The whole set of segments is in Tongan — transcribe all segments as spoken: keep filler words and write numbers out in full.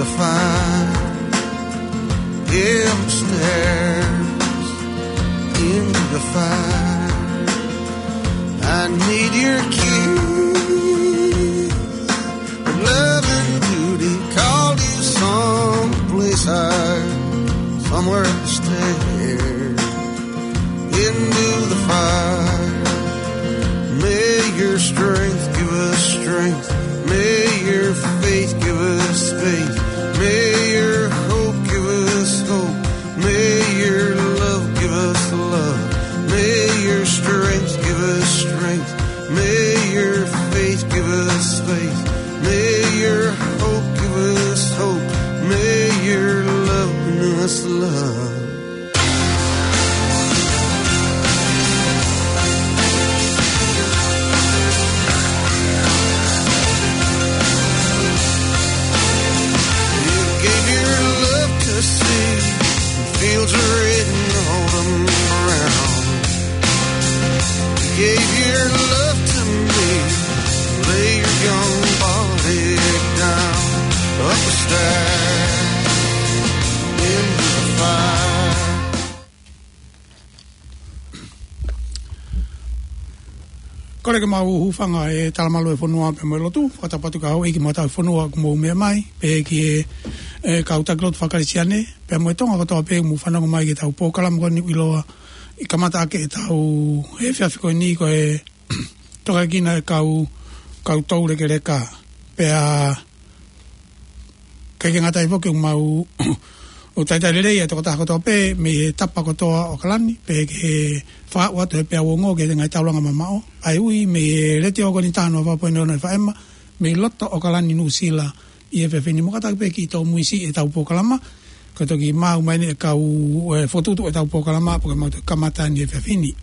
Fire, yeah, upstairs in the fire. I need your kiss. Love and duty called you someplace higher, somewhere upstairs into the fire. May your strength give us strength. May your faith give us faith. May your hope give us hope. May your love give us love. May your strength give us strength. May your faith give us faith. May your hope give us hope. May your love bring us love. You gave your love to see fields are written on the ground. You gave your love to me. Lay your young body down. Up the stairs into the fire. Kole ke mau hūfanga he talamalu e fonua pea mo e lotu, fakatapu atu ki he houʻeiki mo e tauhi fonua ʻoku mou meʻa mai, pehē ki he, e, kau taki lotu faka-Kalisitiane, pea mo e Tonga kotoa pē ʻoku mou fanongo mai ki heʻetau polokalama ko eni ʻoku ʻiloa ʻi he kamata ʻaki ʻetau efiafi ko eni ko e tokakina e kau, kau toulekeleka. Pea ʻikai ke ngata ai foki ʻoku mau ʻo talitali lelei ʻa e tokotaha kotoa pē mei he tapa kotoa ʻo ʻAokalani, pea ke fakaaʻu atu he peau ongo ki he ngaahi taulanga mamaʻo ʻa e ui mei he Letiō ko eni taha noa fā poini ono F M, mei loto ʻAokalani, Nuʻusila, ʻi he efiafi ni, mo kātaki pē kiʻi tōmuisi ʻetau polokalama, ko e toki maʻu mai eni e kau, e, fokotuʻutuʻu ʻetau polokalama, pea ko e mau toki kamata eni he efiafi ni.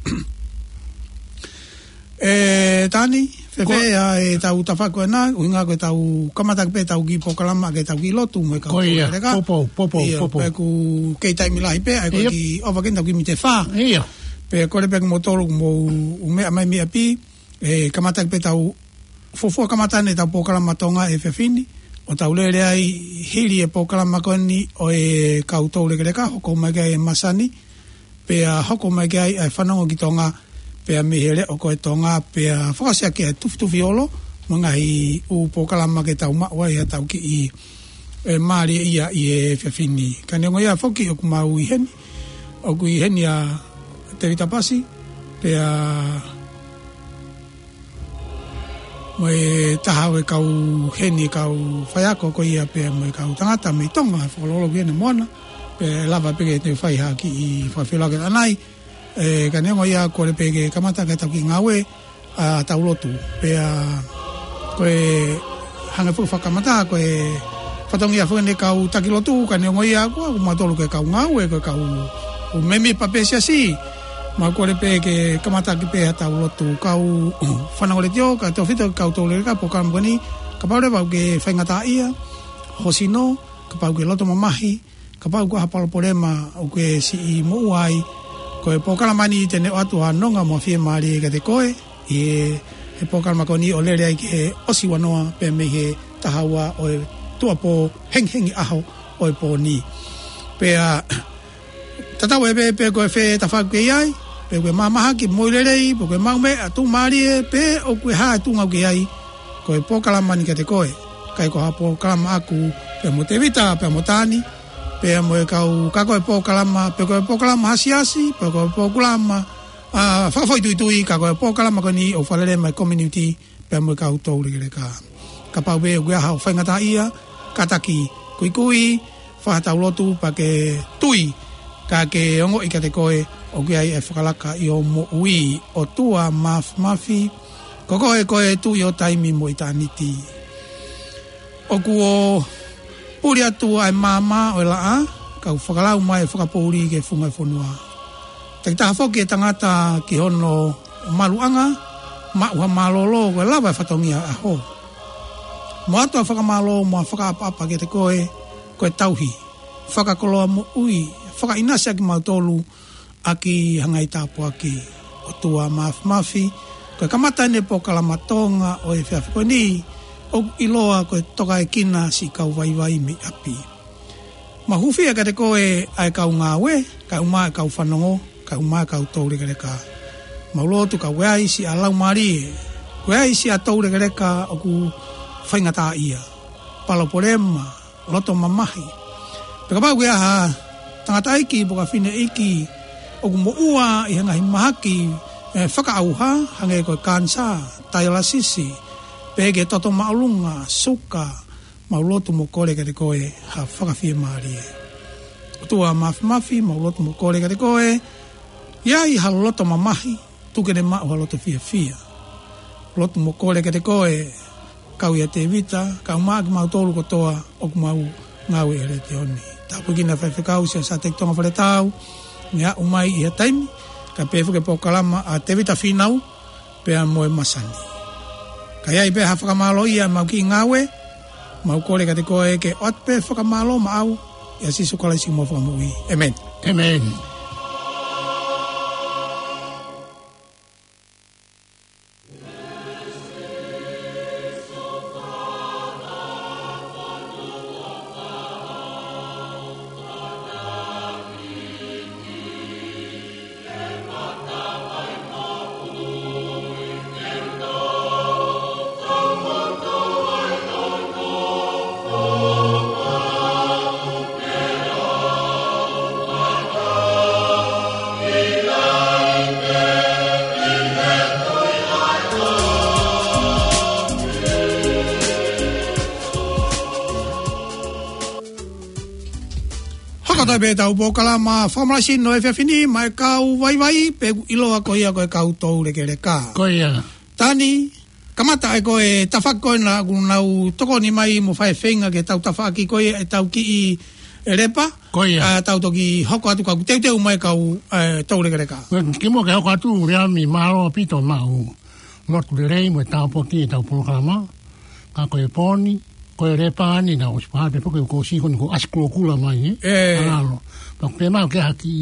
E, Tani, fēfē ʻa ʻetau tafaʻaki ko ena, ʻuhinga ko ʻetau kamata pē ʻetau kiʻi polokalama, ke tau kiʻi lotu mo e kau toulekeleka. Ko ia, poupou, poupou, ʻIo, poupou. Pea ʻoku kei taimi lahi pē, ʻa ia ko e kiʻi ʻova ke tau kiʻi mite fā. ʻIo. Pea kole pē kimoutolu ʻoku mou meʻa mai mei ʻapi, e, kamata pē ʻetau fuofua kamata eni ʻetau polokalama Tonga he efiafi ni, ʻo tau lele ai hili e polokalama ko eni ʻo e kau toulekeleka, hoko mai ki ai e masani, pea hoko mai ki ai e fanongo ki Tonga, pea mei he leʻo ko e Tonga, pea fakaʻosi ʻaki e tufitufi olo, mo e ngaahi ʻū polokalama ke tau maʻu ai haʻatau kiʻi, e, mālieʻia ʻi he efiafi ni. Ka neongo ia foki ʻoku mau ʻi heni, ʻoku ʻi heni ʻa Tēvita Pasi, pea mo e taha ʻo e kau heni, kau faiako ko ia pea mo e kau tangata mei Tonga, fakalolo ki heni mo ana, pea lava pē ke te fai ha kiʻi fakafeʻiloaki ʻanai. E, ka neongo ia kole pē ke kamata ke tau kiʻi ngāue, ʻa, tau lotu. Pea ko e hanga foki fakamatala, ko e fatongia foki eni e kau taki lotu, ka neongo ia ko ʻoku mautolu ko e kau ngāue, ko e kau ʻū mēmipa pē siasi. Mau kole pē ke kamata ʻaki pē haʻatau lotu. Kau fanongo letiō, kae tefito ki he kau toulekeleka polokalama ko eni, kapau leva ʻoku ke faingataʻaʻia ho sino, kapau ʻoku ke loto mamahi, kapau ʻoku ʻi ai ha palopalema ʻoku ke siʻi moʻua ai, ko e polokalama ni te ne ʻoatu ha nonga mo e fiemālie kiate koe, ʻi he, he polokalama ko eni ʻo lele ai ki he ʻosi ua noa pē mei he taha ua ʻo e tuʻuapō hengihengi ʻaho ʻo e pō ni. Pea tatau ai pē pe ko e fē tafaʻaki ʻoku ke ʻi ai, pe ko e mahamahaki, moʻui lelei, pe ko e maʻu meʻa, tuʻumālie, pe ʻoku ʻi ai ha tuʻunga ʻoku ke ʻi ai, ko e polokalama ni kiate koe. ʻIkai ko ha polokalama ʻaku pea mo Tēvita, pea mo Tani, pea mo e kau, ka ko e polokalama, pe ko e polokalama ha siasi, pe ko e polokalama, ʻa, fakafoʻituitui, ka ko e polokalama ko eni ʻoku fakalele mai e community, pea mo e kau toulekeleka. Kapau pē ʻoku ʻi ai haʻo faingataʻaʻia, kātaki kuikui, fai haʻatau lotu pea ke tui, ka ke ongoʻi kiate koe ʻoku ʻi ai e fakalaka ʻi hoʻo moʻui. ʻOtua Māfimafi, ko koe ko e Tuʻi ʻo taimi mo ʻitāniti. ʻOku ou puli atu ʻa e maama ʻo e laʻā, kau fakalau mai e fakapoʻuli ki he funga e fonua. Takitaha foki e tangata ki hono maluʻanga, maʻu ha mālōlō, ko e lava e fatongia ʻo e ʻaho. Mo ʻoatu ʻa e fakamālō mo e fakaʻapaʻapa kiate koe, ko e tauhi, fakakoloa moʻui, fakaʻinasi ʻa kimautolu ʻaki ha ngaahi tāpuaki. ʻOtua Māfimafi, ko e kamata eni e polokalama Tonga ʻo e efiafi ko eni, ʻoku ʻiloa ko e tokaʻekina siʻi kau vaivai mei ʻapi. Mau hūfia kiate koe ʻa e kau ngāue, kae ʻumaʻā e kau fanongo, kae ʻumaʻā e kau toulekeleka. Mau lotu ka ʻoku ʻi ai siʻa laumālie, ʻoku ʻi ai siʻa toulekeleka ʻoku faingataʻaʻia, palopalema, loto mamahi. Pea kapau ʻoku ʻi ai ha tangataʻeiki pe ko ha fineʻeiki ʻoku moʻua ʻi he ngaahi mahaki, ē, fakaʻauha, hangē ko e kanisā, taialasisi, pe ko e toto māʻolunga, suka, mau lotu mo kole kiate koe ha fakafiemālie. ʻOtua Māfimafi, mau lotu mo kole kiate koe, ʻi ai ha loto mamahi, tuku ke ne maʻu ha loto fiefia. Lotu mo kole kiate koe, kau ʻia Tēvita, kae ʻumaʻā kimautolu kotoa ʻoku mau ngāue ʻi he letiō ni. Tāpuekina e faifekau Siaosi ʻa Teki Tonga Faletau, ne aʻu mai ʻi ha taimi, kae pehē foki e polokalama ʻa Tēvita Fīnau, pea mo e masani. Ka ʻi ai pē ha fakamālō ia ʻemau kiʻi ngāue, mau kole kiate koe ke ʻoatu pē fakamālō maʻau, ʻia Sīsū Kalaisi ko homau Fakamoʻui. ʻĒmeni. ʻĒmeni. Hoko atu pē ʻetau polokalama fakamalasi ʻo e efiafi ni maʻa e kau vaivai, pea ʻoku ʻiloa ko ia ko e kau toulekeleka. Ko ia. Tani, kamata ʻe koe e tafaʻaki ko ena ʻoku nau tokoni mai mo fai e feinga ke tau tafaʻaki ko ia ʻetau kiʻi lepa. Ko ia. ʻA, tau toki hoko atu ka ʻoku teuteu mai e kau, ē, toulekeleka. Ko e kimuʻa ke hoko atu, Leami, mālō ʻaupito maʻu lotu lelei mo e tāpuaki ʻetau polokalama. Ka ko e pō ni, ko e lepa ni naʻe ʻosi pehē pē foki kuo ʻosi ko eni kuo ʻasi kulokula mai, ē? ʻE. Mālō. Pea ko e pē maʻu ke haki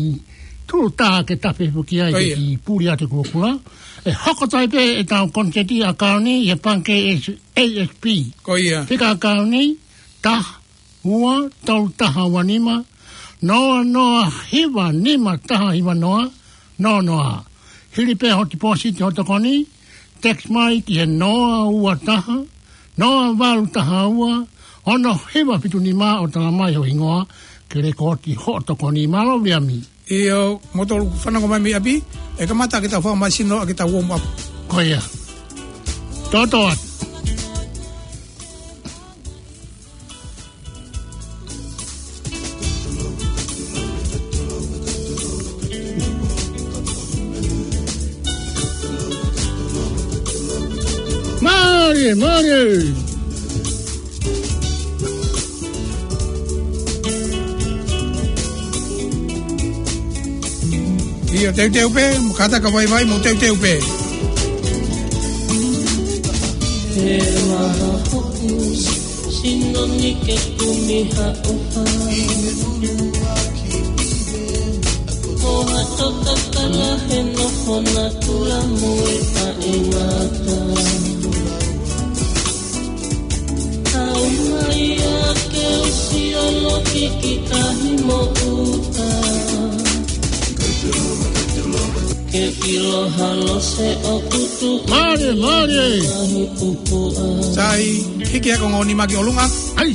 tū tā ke tafe foki ai, ko ia, ke kiʻi puli atu e kulokula. ʻE hoko atu ai pē ʻetau koniseti ʻakauni ʻi he pangikē ʻa e A S P. Ko ia. Fika ʻakauni, taha, ua, tolu taha ua nima, noa noa hiva nima taha hiva noa, noa noa. Hili pē hoʻo tipōsiti hoʻo tokoni, text mai ki he noa ua taha, noa valu taha ua, ono hiva fitu nima ʻo tala mai ho hingoa, ke lēkooti hoʻo tokoni. Mālō Leami. ʻIo, moutolu fanongo mai mei ʻapi, ʻe kamata ke tau fakamalasi ʻaki ʻetau warm up. Ko ia. Toto atu. Mālie, mālie. ʻIo, teuteu pē, mo kātaki ka vaivai, mo teuteu pē. He maha hoku sino ni ke kumi ha ʻofa. Ko ha toka kala he nofo natula mo e taʻengata. Kau mai ā ke u sio loki ki tahi mo ʻuta. Ke ʻilo ha lose ʻoku tuʻu. Mālie, mālie. Tahi pupuʻa. Sai, hiki ʻa e konga ʻo e nima ki ʻolunga. ʻAi.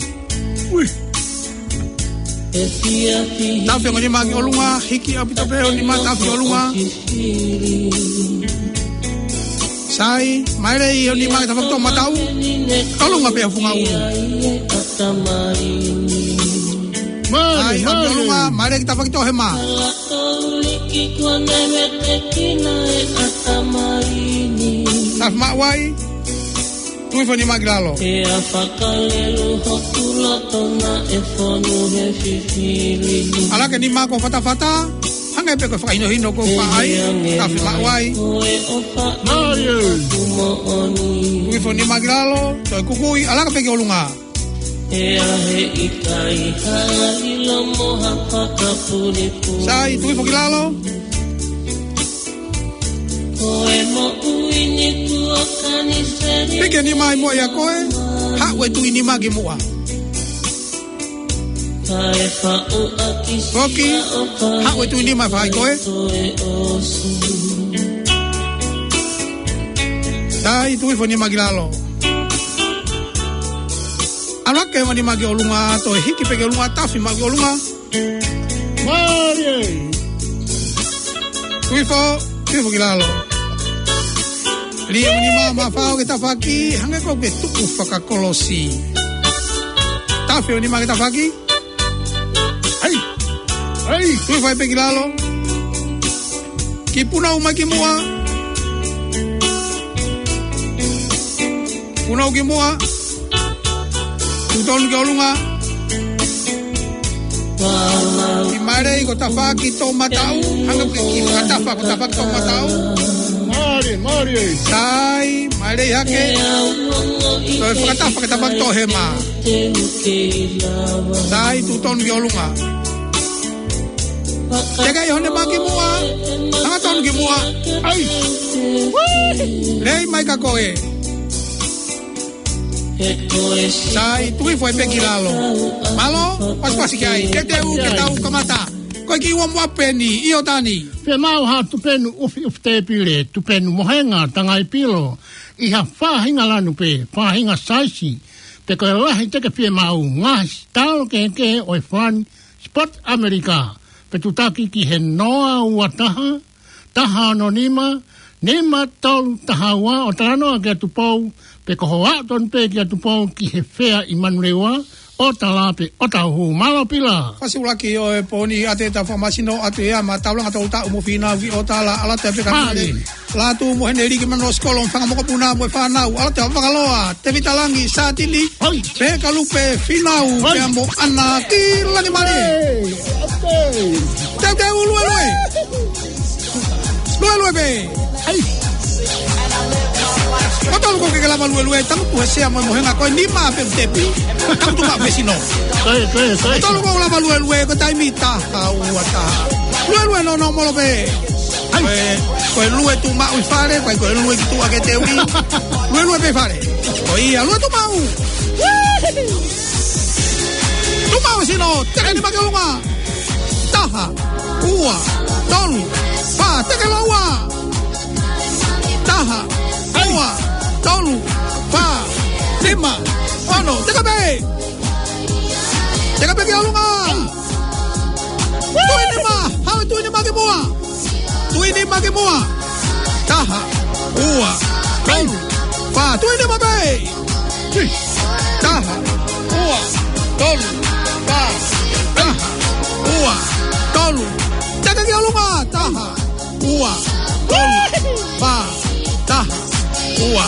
Ui. Tafe ʻo e nima ki ʻolunga, hiki ʻaupito pē ʻo e nima, tafe ki ʻolunga. Sai, maile ʻo e nima ki he tafaʻaki toʻomataʻu. ʻOlunga pē ʻa e funga ʻulu. Mālie, ai, ʻaupito mālie. ʻOlunga, maile ki he tafaʻaki toʻohema. Tafe maʻu ai. Tui foʻi nima ki lalo. ʻE a fakalelu hoku loto naʻe fonu he fifili. ʻAlā ke nima ko e fatafata, hangē pē ko e fakahinohino ko e paʻai, tafe maʻu ai. Mālie. Tui foʻi nima ki lalo, toe kukui, ʻalā pē ki ʻolunga. ʻE a he ʻikai ha lilo mo ha fakapulipuli. Sai, tui foki lalo. Ko e moʻui ni kuo kaniseli. Piki e nima ʻi muʻa ʻia koe. Haʻu e tuʻi nima ki muʻa. Foki, haʻu e tuʻi nima fai koe. Tai, tuifo nima ki lalo. ʻAlu hake mo nima ki ʻolunga, toe hiki pē ki ʻolunga, tafi maʻu ki ʻolunga. Mālie. Tuifo, tuifo ki lalo. Lī mo nima, mafao ke tafaʻaki, hangē ko e tuku fakakolosi. Tafi mo nima ke tafaʻaki. Ai. Ai. Tuifo ai pē ki lalo. Kiʻi punau mai ki muʻa. Punau ki muʻa. Tuʻu tonu ki ʻolunga. Kiʻi mālie ko e tafaʻaki toʻomataʻu. Hangē ko e kiʻi fakatafa ko e tafaʻaki toʻomataʻu. Mālie, mālie. Tai, mālie hake. Toe fakatafa ko e tafaʻaki toʻohema. Tai, tuʻu tonu ki ʻolunga. Teka ʻi hone mā ki muʻa. Hanga tonu ki muʻa. Ai. Lei mai ka koe. Sai, tuifo ai pē ki lalo. Mālō, pasipasi ki ai. Ke te u, ke tau kamata. Ko e kiʻi ua mua peni, ʻIo Tani. Fiemaʻu ha tupenu ʻufiʻufi tēpile, tupenu mohenga, tangai pilo. ʻI ha faʻahinga lanu pē, faʻahinga saisi. Pe ko e lahi te ke fiemaʻu, ngaahi sitalo kehekehe ʻo e Fund Sport ʻAmelika. Pe tutaki ki he noa ua taha, taha ono nima, nima tolu taha ua, ʻo talanoa kia Tupou, pe ko hoʻo aʻu tonu pē kia Tupou ki he fea ʻi Manurewa, ʻo tala pe ʻo tauhu. Mālō Pila. Fasi ulaki ʻo e pōni ʻa e ta fakamasino atu ia ma taulanga tau taʻu mo fina vi o tala ala te pe ka Mālie. Latu mo hene liki mano sikolo fanga mokopuna mo e fānau, ala te fakaloa, Tevita Langi, Sātini, Hoi. Peka Lupe, Finau, Hoi. Pea mo Ana ki Langi Mālie. Hei, ok. Teu teu, luelue. Luelue pē. Ai. Ko tolu ko ke lava luelue, tangutu he sea mo e mohenga ko e nima pe tepi. Tangutu ka pe sino. Ko e, ko e, ko e. Ko tolu ko lava luelue, ko e taimi taha ua taha. Luelue no no molo pē. Ai. Ko e, ko e lue tuʻu maʻu ʻi fale, ko e, ko e lue ki tuʻa ke te ui. Luelue pē fale. Ko ia, lue tuʻu maʻu. Tuʻu maʻu sino, teke nima ki ʻolunga. Taha, ua, tolu, fā, teke lōua. Taha, ua, tolu, fā, nima, ono, teka pē. Teka pē ki ʻolunga. Tuʻi nima, haʻu e tuʻi nima ki muʻa. Tuʻi nima ki muʻa. Taha, ua, tolu, fā, tuʻi nima pē. Taha, ua, tolu, fā, taha, ua, tolu. Teka ki ʻolunga, taha, ua, tolu, fā, taha, ua,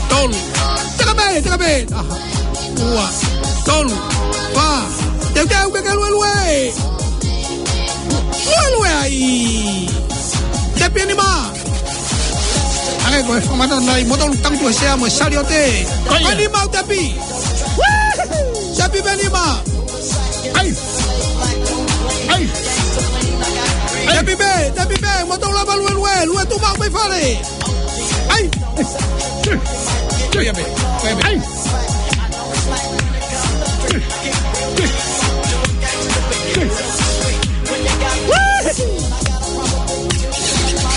tolu. Teka pē, teka pē, taha, ua, tolu, fā. Teuteu ke ke luelue. Luelue ai. Tepi nima. Hangē ko e fakamatala nai, motolu tangutu he sea mo e saliote. Ko ia. Ko e nima ʻoku tepi. Tepi pē nima. Ai. Ai. Ai. Tepi pē, tepi pē, motolu lava luelue, lue tuʻu maʻu mai fale. Ai. Ko ia pē, ko ia pē. Ai.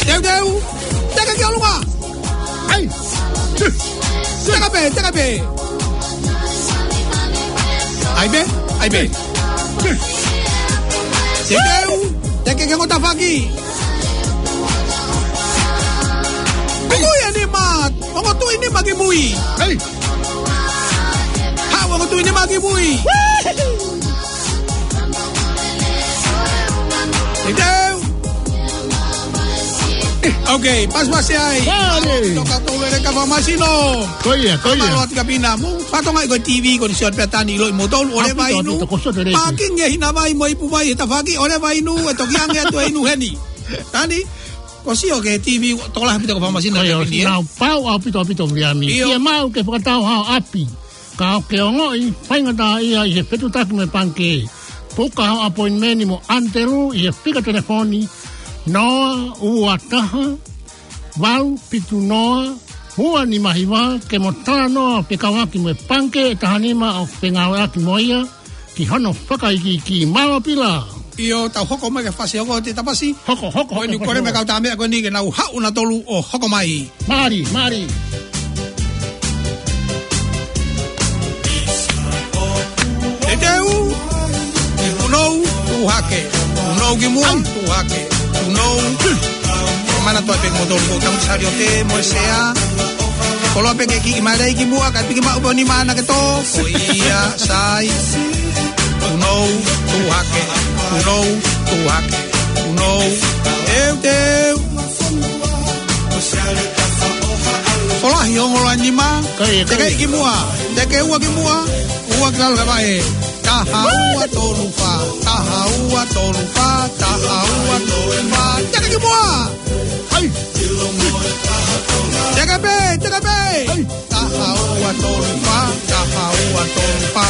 Teuteu. Teka ki ʻolunga. Ai. Teka pē, teka pē. Ai pē, ai pē. Teuteu. Teke ke ongo tafaʻaki. Kuku ia nima. Ongo tuʻi nima ki mui. Ai. Haʻu ongo tuʻi nima ki mui. Teuteu. Ok, pasipasi ai. Mālie. Toka tau lele ka fakamasino. Ko ia, ko ia. Mālō ʻaupito kapina mo fatongia ko e T V, ko e sio pē Tani ʻilo ʻi motolu, ʻo leva inu. ʻAupito, ʻaupito, ko sio te lele. Pākingi e hina vai mo ipu vai he tafaʻaki, ʻo leva inu, ʻe toki ange atu e inu heni. Tani, ko sio ki he T V, tola ʻaupito ka fakamasino. Ko ia, kapini, ē? Nau pau ʻaupito, ʻaupito, Viliami. ʻIo. Fiemaʻu ke fakatau hao ʻapi. Ka ʻoku ke ongoʻi faingataʻaʻia ʻi he fetutaki mo e pangikē, puka ho appointment mo ʻAnitelū ʻi he fika telefoni noa ua taha, valu fitu noa, ua nima hiva, ke mo talanoa pē kau ʻaki mo e pangikē ʻe taha nima ʻoku ke ngāueʻaki mo ia ki hono fakaikiiki. Mālō Pila. ʻIo, tau hoko mai ki he fasi hoko ʻo Tēvita Pasi. Hoko, hoko, ko eni hoko, kole mai hoko. Kau tā meʻa ko eni ke nau haʻu nautolu ʻo hoko mai. Mālie, mālie. Teuteu, punou, tuʻu hake. Punou ki muʻa, ai, tuʻu hake. Punou. Manatuʻi pē kimoutolu ko Tangata Saliote mo e sea. Koloa pē ke kiʻi mai lelei ki muʻa, kae piki maʻu pē ʻo nima ʻana ke tō. Ko ia, sai. Punou, tuʻu hake. Punou, tuʻu hake. Punou. Teuteu. Folahi ongoloa nima. Kai, kai. Teke ki muʻa. Teke ua ki muʻa. Ua ki lalo ka vaʻe. Taha ua tolu fā. Taha ua tolu fā. Taha ua tolu fā. Teke ki muʻa. Ai. Teke pē, teke pē. Ai. Taha ua tolu fā, taha ua tolu fā.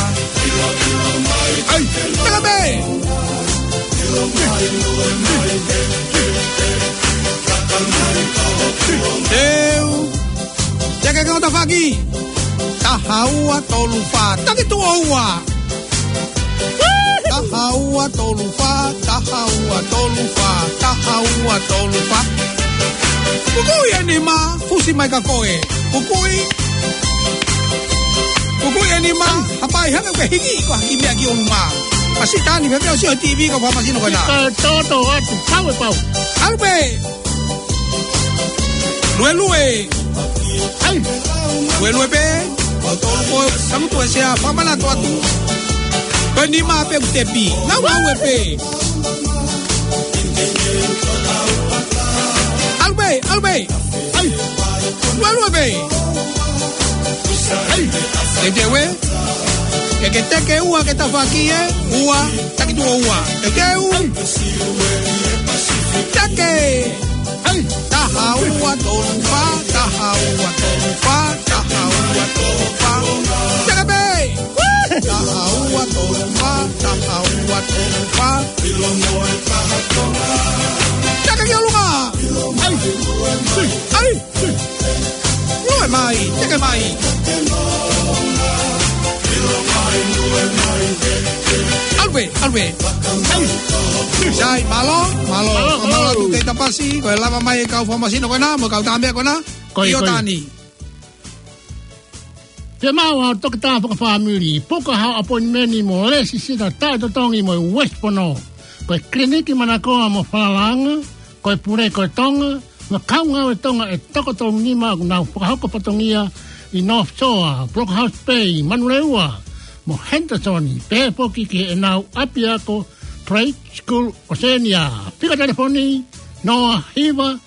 Ai, teka pē. Teu. Teka ke ngota faki. Taha ua tolu fā. Taki tuʻo ua. Taha ua tolu fā, taha ua tolu fā, taha ua tolu fā. Kukuʻi e nima, fusi mai ka koe. Kukuʻi. Kukuʻi e nima, hapai hanga ke hiki ko haki meʻa ki ʻolunga. Pasi tani, pea pea sio T V ko famasino ko ena. Ka toto atu, pau e pau. ʻAlu pē. Luelue. Ai. Luelue pē. ʻO tolu ko e sangutu e sea, fakamana atu atu. Ko e nima pē ʻoku tepi. Nau au e pē. ʻAlu pē, ʻalu pē. Ai. Luelue pē. Ai. Teuteu ē. Ke ke teke ua ke tafaki ē. Ua, taki tuʻo ua. Teuteu. Teke. Ai. Taha ua tolu fā, taha ua tolu fā, taha ua tolu fā. Teke pē. Taha ua tolu fā, taha ua tolu fā. Teke ki ʻolunga. Ai. Ai. Lue mai, teke mai. ʻAlu pē, ʻalu pē. Sai, mālō, mālō, mālō, mālō atu Tēvita Pasi, ko e lava mai e kau famasino ko ena, mo e kau tā meʻa ko ena. Ko ia, ko ia. Iotani. Te mau au toketā fakafāmili, puka hao appointment mo Lesi Sita taʻetotongi mo e West Pono. Ko e kiliniki manakoa mo falalaʻanga, ko e pule ko e Tonga, mo e kau ngāue Tonga ʻe toko tolu nima ʻoku nau fakahoko fatongia ʻi North Shore, Brookhouse Bay, Manurewa, mo Henderson, pehē foki ki heʻenau ʻapiako Trade School Oceania. Fika telefoni, noa hiva,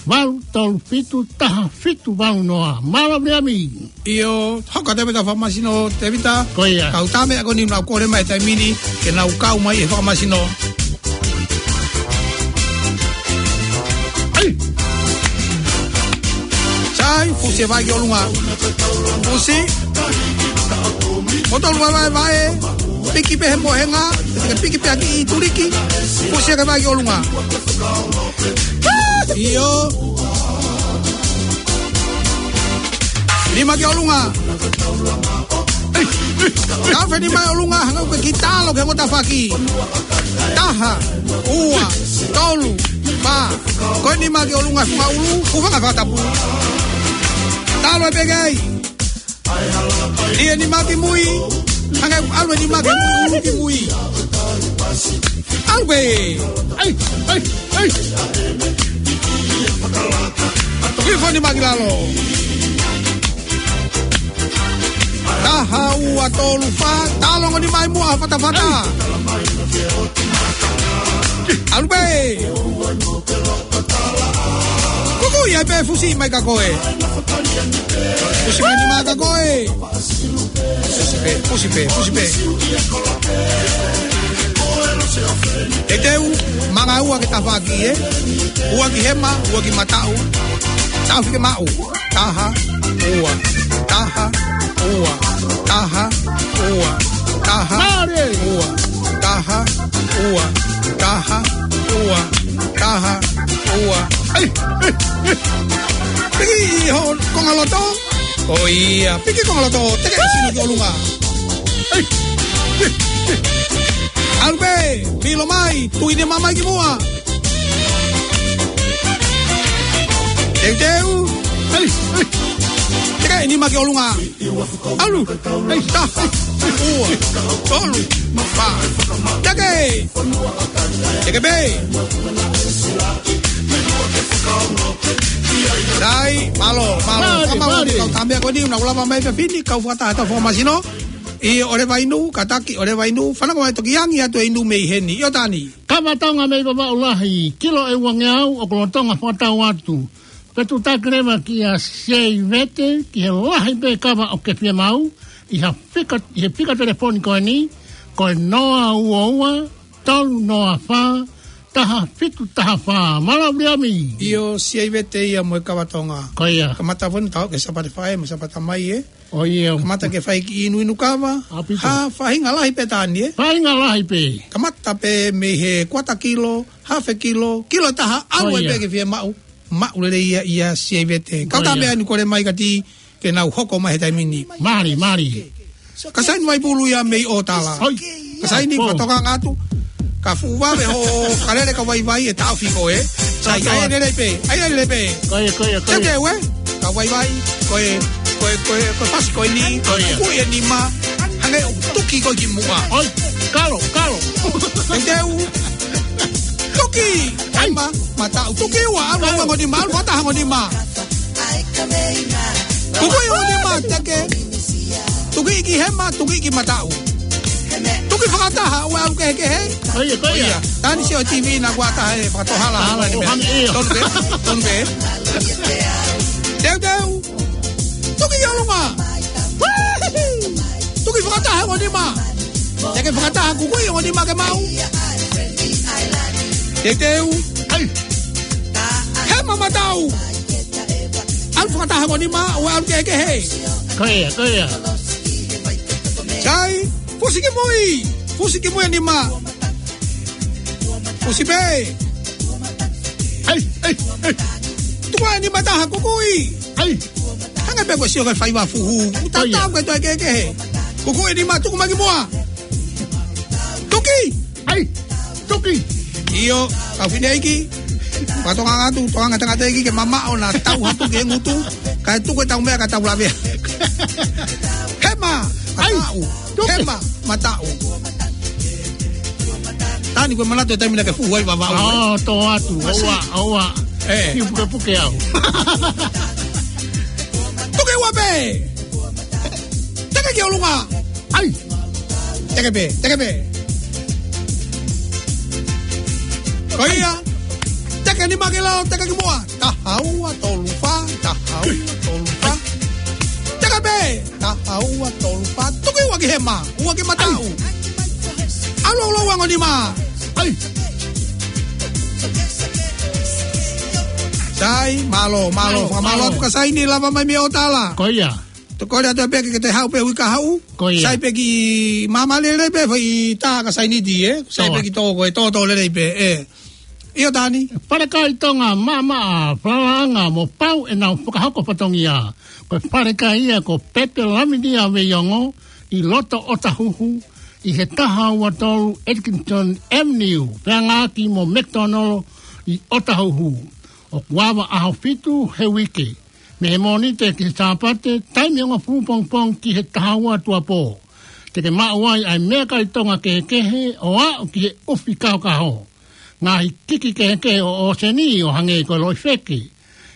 valu tolu fitu, taha fitu valu noa. Mālō Viliami. ʻIo, hoko atu pē ʻetau famasino Tēvita. Ko ia. Kau tā meʻa ko eni nau kole mai taimi ni, ke nau kau mai he famasino. Ai. Sai, fusi e vai ki ʻolunga. Fusi. Mo tolu vaevae. Piki pē he mohenga. Piki pē ʻaki ʻi tuliki. Fusi e vai ki ʻolunga. ʻIo. Nima ki ʻolunga. Kafe nima ʻi ʻolunga, hanga ʻo ke kiʻi talo ki he ngota faki. Taha, ua, tolu, fā. Ko e nima ki ʻolunga, funga ʻulu, hūfanga he fakatapu. Talo e pekei. Lie nima ki mui. Hanga ʻalu e nima ki mui, ʻulu ki mui. ʻAlu pē. Ai, ai, ai. Hifo nima ki lalo. Taha ua tolu fā, talo ongo nima ʻi muʻa, fatafata. ʻAlu pē. Kukuʻi ai pē, fusi mai ka koe. Fusi mai nima ka koe. Fusi pē, fusi pē, fusi pē. Teuteu, manga ua ke tafaki, ē? Ua ki hema, ua ki mataʻu. Tafi ke maʻu. Taha, ua, taha, ua, taha, ua, taha, Mālie. Ua, taha, ua, taha, ua, taha, ua. Ai, ai, ai. Piki ho konga loto. Ko ia, piki konga loto, teke e sino ki ʻolunga. ʻAlu pē, pilo mai, tuʻi ne mamai ki muʻa. Teuteu. Teke e nima ki ʻolunga. ʻAlu. Taha, ua, tolu, fā. Teke. Teke pē. Sai, mālō, mālō. Mālō, mālō. Kau tāmea ko eni, naʻa ku lava mai pē fini, kau fakataha ʻetau fakamasino. ʻIo, ʻo leva inu, kātaki, ʻo leva inu, fanongo mai toki angi atu e inu mei heni. ʻIo Tani. Kava Tonga mei Vavaʻu Lahi, kilo ʻe uangeau, ʻoku lolotonga fakatau atu. Pea tuʻutaki leva kia Seivete, ki he lahi pē kava ʻoku ke fiemaʻu, ʻi ha fika, ʻi he fika telefoni ko eni, ko e noa ua ua, tolu noa fā, taha fitu taha fā. Mālō Viliami. ʻIo, Seivete ia mo e Kava Tonga. Ko ia. Kamata foki ʻetau ke Sāpate Faʻē, mo Sāpate Tamai, ē. ʻO ia. Kamata ke fai kiʻi inuinu kava. ʻAupito. Ha faʻahinga lahi pē Tani, ē. Faʻahinga lahi pē. Kamata pē mei he kuata kilo, hafe kilo, kilo taha, ʻalu ai pē ke fiemaʻu. Maʻu lelei ia ʻia Seivete. Kau tāmea eni kole mai ka ti ke nau hoko mai he taimi ni. Mālie, mālie. Ka saini mai pulu ia mei ʻOtala. ʻOi. Ka saini, ka toka ngatu. Ka fuʻu vave ho kalele ka vaivai e taʻofi ko ē. Sai, ʻai lelei pē, ʻai lelei pē. Ko ia, ko ia, ko ia. Teke ue, ka vaivai, ko e, ko e, ko e, ko e fasi ko eni, ko e kuʻi e nima, hangē ʻoku tuki ko ē ki muʻa. ʻOi, kalo, kalo. Teuteu. Tuki, hema, mataʻu, tuki ua, ʻalu ua hongo nima, ʻalu fakataha hongo nima. Kukuʻi hongo nima, teke. Tuki ki hema, tuki ki mataʻu. Tuki fakataha, ʻoua ʻalu kehekehe. Ko ia, ko ia. Tani sio TV naʻa ku ʻatā he fakatohalahala ni mea. Tonu pē, tonu pē. Teuteu. Tuki ki ʻolunga. Tuki fakataha hongo nima. Teke fakataha kukuʻi hongo nima ke maʻu. Teuteu. ʻAi. Hema mataʻu. ʻAlu fakataha hongo nima, ʻoua ʻalu kehekehe. Ko ia, ko ia. Sai, fusi ki mui. Fusi ki mui e nima. Fusi pē. ʻAi, ʻai, ʻai. Tuku e nima taha kukuʻi. ʻAi. Hangē pē ko e sio ko e faiva fuhu. Ko ia. Tatau ko e toe kehekehe. Kukuʻi e nima, tuku mai ki muʻa. Tuki. ʻAi. Tuki. ʻIo, kau fineʻeiki. Ka toka ngatu, toka ngata ngata ʻeiki ke mamaʻo naʻa tau ha tuki he ngutu. Kae tuku ʻetau meʻa ka tau lavea. Hema, ʻai, mataʻu. Tuki. Hema, mataʻu. Tani ko e manatu e taimi naʻa ke fuhu ai Vavaʻu, ē? ʻO, tō atu, ʻoua, ʻoua. Ē. Kiʻi pukepuke au. Tuki ua pē. Teke ki ʻolunga. ʻAi. Teke pē, teke pē. Ko ia. Teke nima ki lalo, teke ki muʻa. Taha ua tolu fā, taha ua tolu fā. Teke pē. Taha ua tolu fā. Tuki ua ki hema, ua ki mataʻu. ʻAlu ʻo lau hongo nima. ʻAi. Sai, mālō, mālō, mālō, fakamālō mālō. Atu ka saini lava mai mei ʻOtala. Ko ia. Tokole atu pē ke te haʻu pē hui ka haʻu. Ko ia. Sai pē ki māmā lelei pē, fai tā ka saini ti, ē? Sai pē ki tō ko e tō tō lelei pē, ē. ʻIo Tani. Falekai Tonga, maʻamaʻa, falalaʻanga, mo pau ʻenau fakahoko fatongia. Ko e falekai ia ko Pepe Laminia Veiongo, ʻi loto ʻOtahuhu, ʻi he taha ua tolu Edgington Avenue, feangaaki mo McDonald ʻi ʻOtahuhu. ʻOku ava ʻaho fitu he uike. Mei he Mōnite ki he Sāpate, taimi ʻo e hongofulu pongipongi ki he taha ua tuʻuapō. Te ke maʻu ai ʻa e meʻakai Tonga kehekehe ʻo aʻu ki he ʻufi kahokaho. Ngaahi kiki kehekehe ʻo ʻōseni ʻo hangē ko e loʻi feke,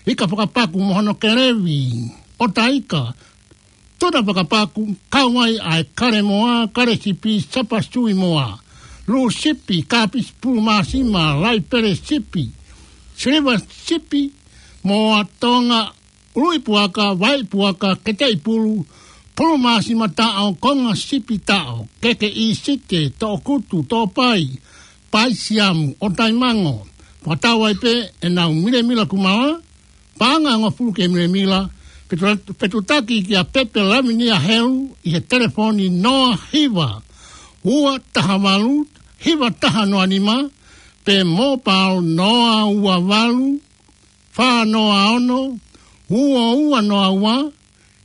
ika fakapaku mo hono kelevi, ʻota ika, tuna fakapaku, kau ai ʻa e kale moa, kale sipi, sapa sui moa, lū sipi, kāpisi pulu māsima, laipele sipi, siliva sipi, moa Tonga, ului puaka, vai puaka, keteʻi pulu, pulu māsima taʻo, konga sipi taʻo, keke ʻīsite, toʻokutu, toʻopai, paisiamu, ʻotaimango. Fakatau ai pē ʻenau milemila kumala, paʻanga ʻe hongofulu ki he milemila, petu-, petutaki kia Pepe Laminia Helu ʻi he telefoni noa hiva, ua taha valu, hiva taha noa nima, pe mobile noa ua valu, fā noa ono, ua ua noa ua,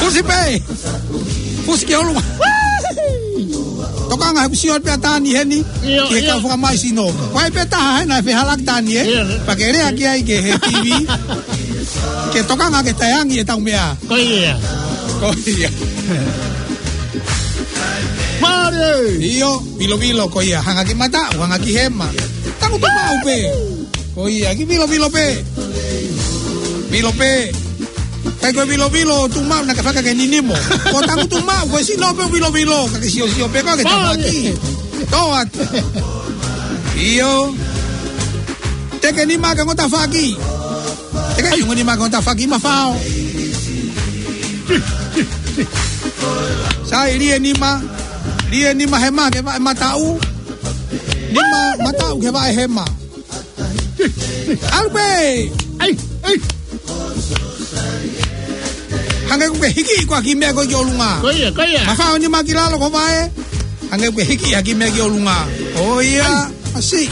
Pusi pē. Pusi ki ʻolunga. Tokanga he kuo sio pē ʻa Tani heni. ʻIo, ki he ʻio. Kau fakamai sino. Ko e pē taha hena e fehālaaki Tani, ē? ʻIo. Pea ke lea ki ai ki he T V. Ke tokanga ke taʻeangi ʻetau meʻa. Ko ia. Ko ia. Mālie. ʻIo, Vilovilo ko ia. Hanga ki mataʻu, hanga ki hema. Tangutu maʻu pē. Ko ia, ki Vilovilo pē. Vilo pē. Kai ko e Vilovilo, tuʻu maʻu naʻa ke faka ke ninimo. Ko tangutu maʻu, ko e sino pē Vilovilo. Ka ke siosio pē, ko ke tafaki. Tō atu. ʻIo. Teke nima ke ngota faki. Teke iunga nima ke ngota faki mafao. Sai lie nima. Lie nima hema ke vaʻe mataʻu. Nima mataʻu ke vaʻe hema. ʻAlu pē. ʻAi, ʻai. Hangē kuo ke hiki ko ā ki meʻa ko ē ki ʻolunga. Ko ia, ko ia. Mafao nima ki lalo ko vaʻe. Hangē kuo ke hiki ʻa ki meʻa ki ʻolunga. ʻO ia, ʻasi.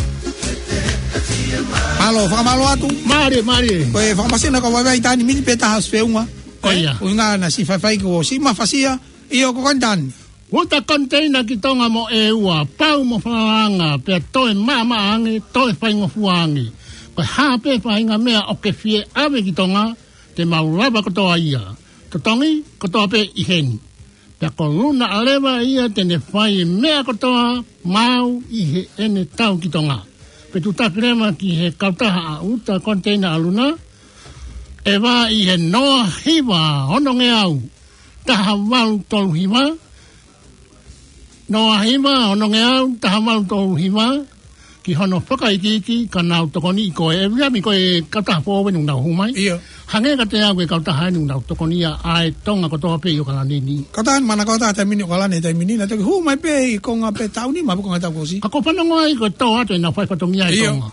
Mālō, fakamālō atu. Mālie, mālie. Ko e fakamasina ko vaivai Tani mini pē taha ʻosi feʻunga. Ko ia. ʻUhinga naʻa siʻi faifai ko siʻi mafasia. ʻIo ko Kontani. Uta konteina ki Tonga mo ʻEua, pau mo falanga, pea toe maʻamaʻa ange, toe faingofua ange. Ko e hā pē faʻahinga meʻa ʻoku ke fie ʻave ki Tonga, te mau lava kotoa ia. Totongi, kotoa pē ʻi heni. Pea ko Luna ʻa leva ia te ne fai e meʻa kotoa maʻau ʻi heʻene tau ki Tonga. Pea tutaki leva ki he kautaha ʻa Uta Konteina ʻa Luna, ʻe vā ʻi he noa hiva ono ngeau, taha valu tolu hiva, noa hiva ono ngeau, taha valu tolu hiva, ki hono fakaikiiki ka nau tokoniʻi koe. ʻE Viliami, ko e kautaha foʻou eni ʻoku nau hū mai. ʻIo. Hangē kiate au ko e kautaha eni ʻoku nau tokoniʻi ʻa e Tonga kotoa pē ʻi ʻAokalani ni. Kautaha eni mana kautaha taimi ni ʻAokalani taimi ni, naʻe toki hū mai pē ʻi Tonga pē taʻu nima pe ko e ngaahi taʻu kuo ʻosi. Ka ʻoku ou fanongo ai ko e tō atu ʻenau fai fatongia ʻi ʻIo. Tonga.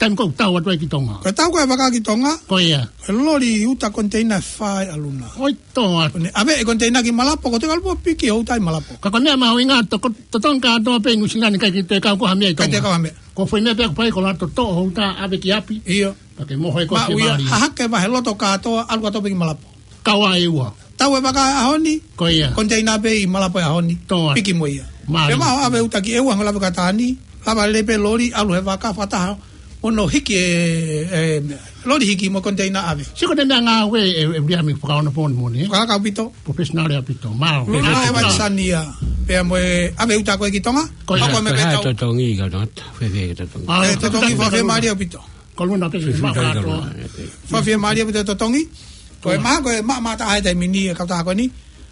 Taimi ko ē ʻoku tau atu ai ki Tonga. Ko e tau ko ē vaka ki Tonga. Ko ia. Ko e loli Uta Konteina ʻe fā ʻa Luna. ʻOi, tō atu. Ko ʻene ʻave e konteina ki Malapo, ko e tau piki ʻo Uta ʻi Malapo. Ka ko e meʻa mahuʻinga, to-, ko-, totongi kātoa pē ʻi Nuʻusila ni, ʻikai ke toe kau ko ha meʻa ʻi Tonga. ʻIkai toe kau ha meʻa. Ko e foʻi meʻa pē ʻoku fai ko e lato toʻo ʻo Uta ʻave ki ʻapi. ʻIo. Pea ke mohe koe ki Maui ia, Malia. Hahake vahe loto kātoa, ʻalu kātoa pē ki Malapo. Kau ʻa ʻEua. Tau e vaka ʻaho ni. Ko ia. Konteina pē ʻi Malapo ʻaho ni. Tō atu. Piki mo ia. Mālie. Pea maʻu ʻave Uta ki ʻEua, hanga lava ka Tani. Lava lele pē loli, ʻalu he vaka fakataha. Ono hiki e, e, loli hiki mo e koniteina ʻave. Sio ko e meʻangāue ʻe, ʻe Viliami fakaono poni moni, ē? Fakalaka ʻaupito. Professional ʻaupito. Mālō. Luna e Vaisania. Pea mo e ʻave uta ko ē ki Tonga. Ko ia. Hoko mai pē tau. Totongi ka nata. Fēfē totongi. Ā, e, totongi, totongi. Fakafiemālie ʻaupito. Ko Luna pē. Fēfē maʻu kātoa. Luna. Fakafiemālie ʻaupito totongi. Ko e maha ko e maʻa mata he taimi ni e kautaha ko eni.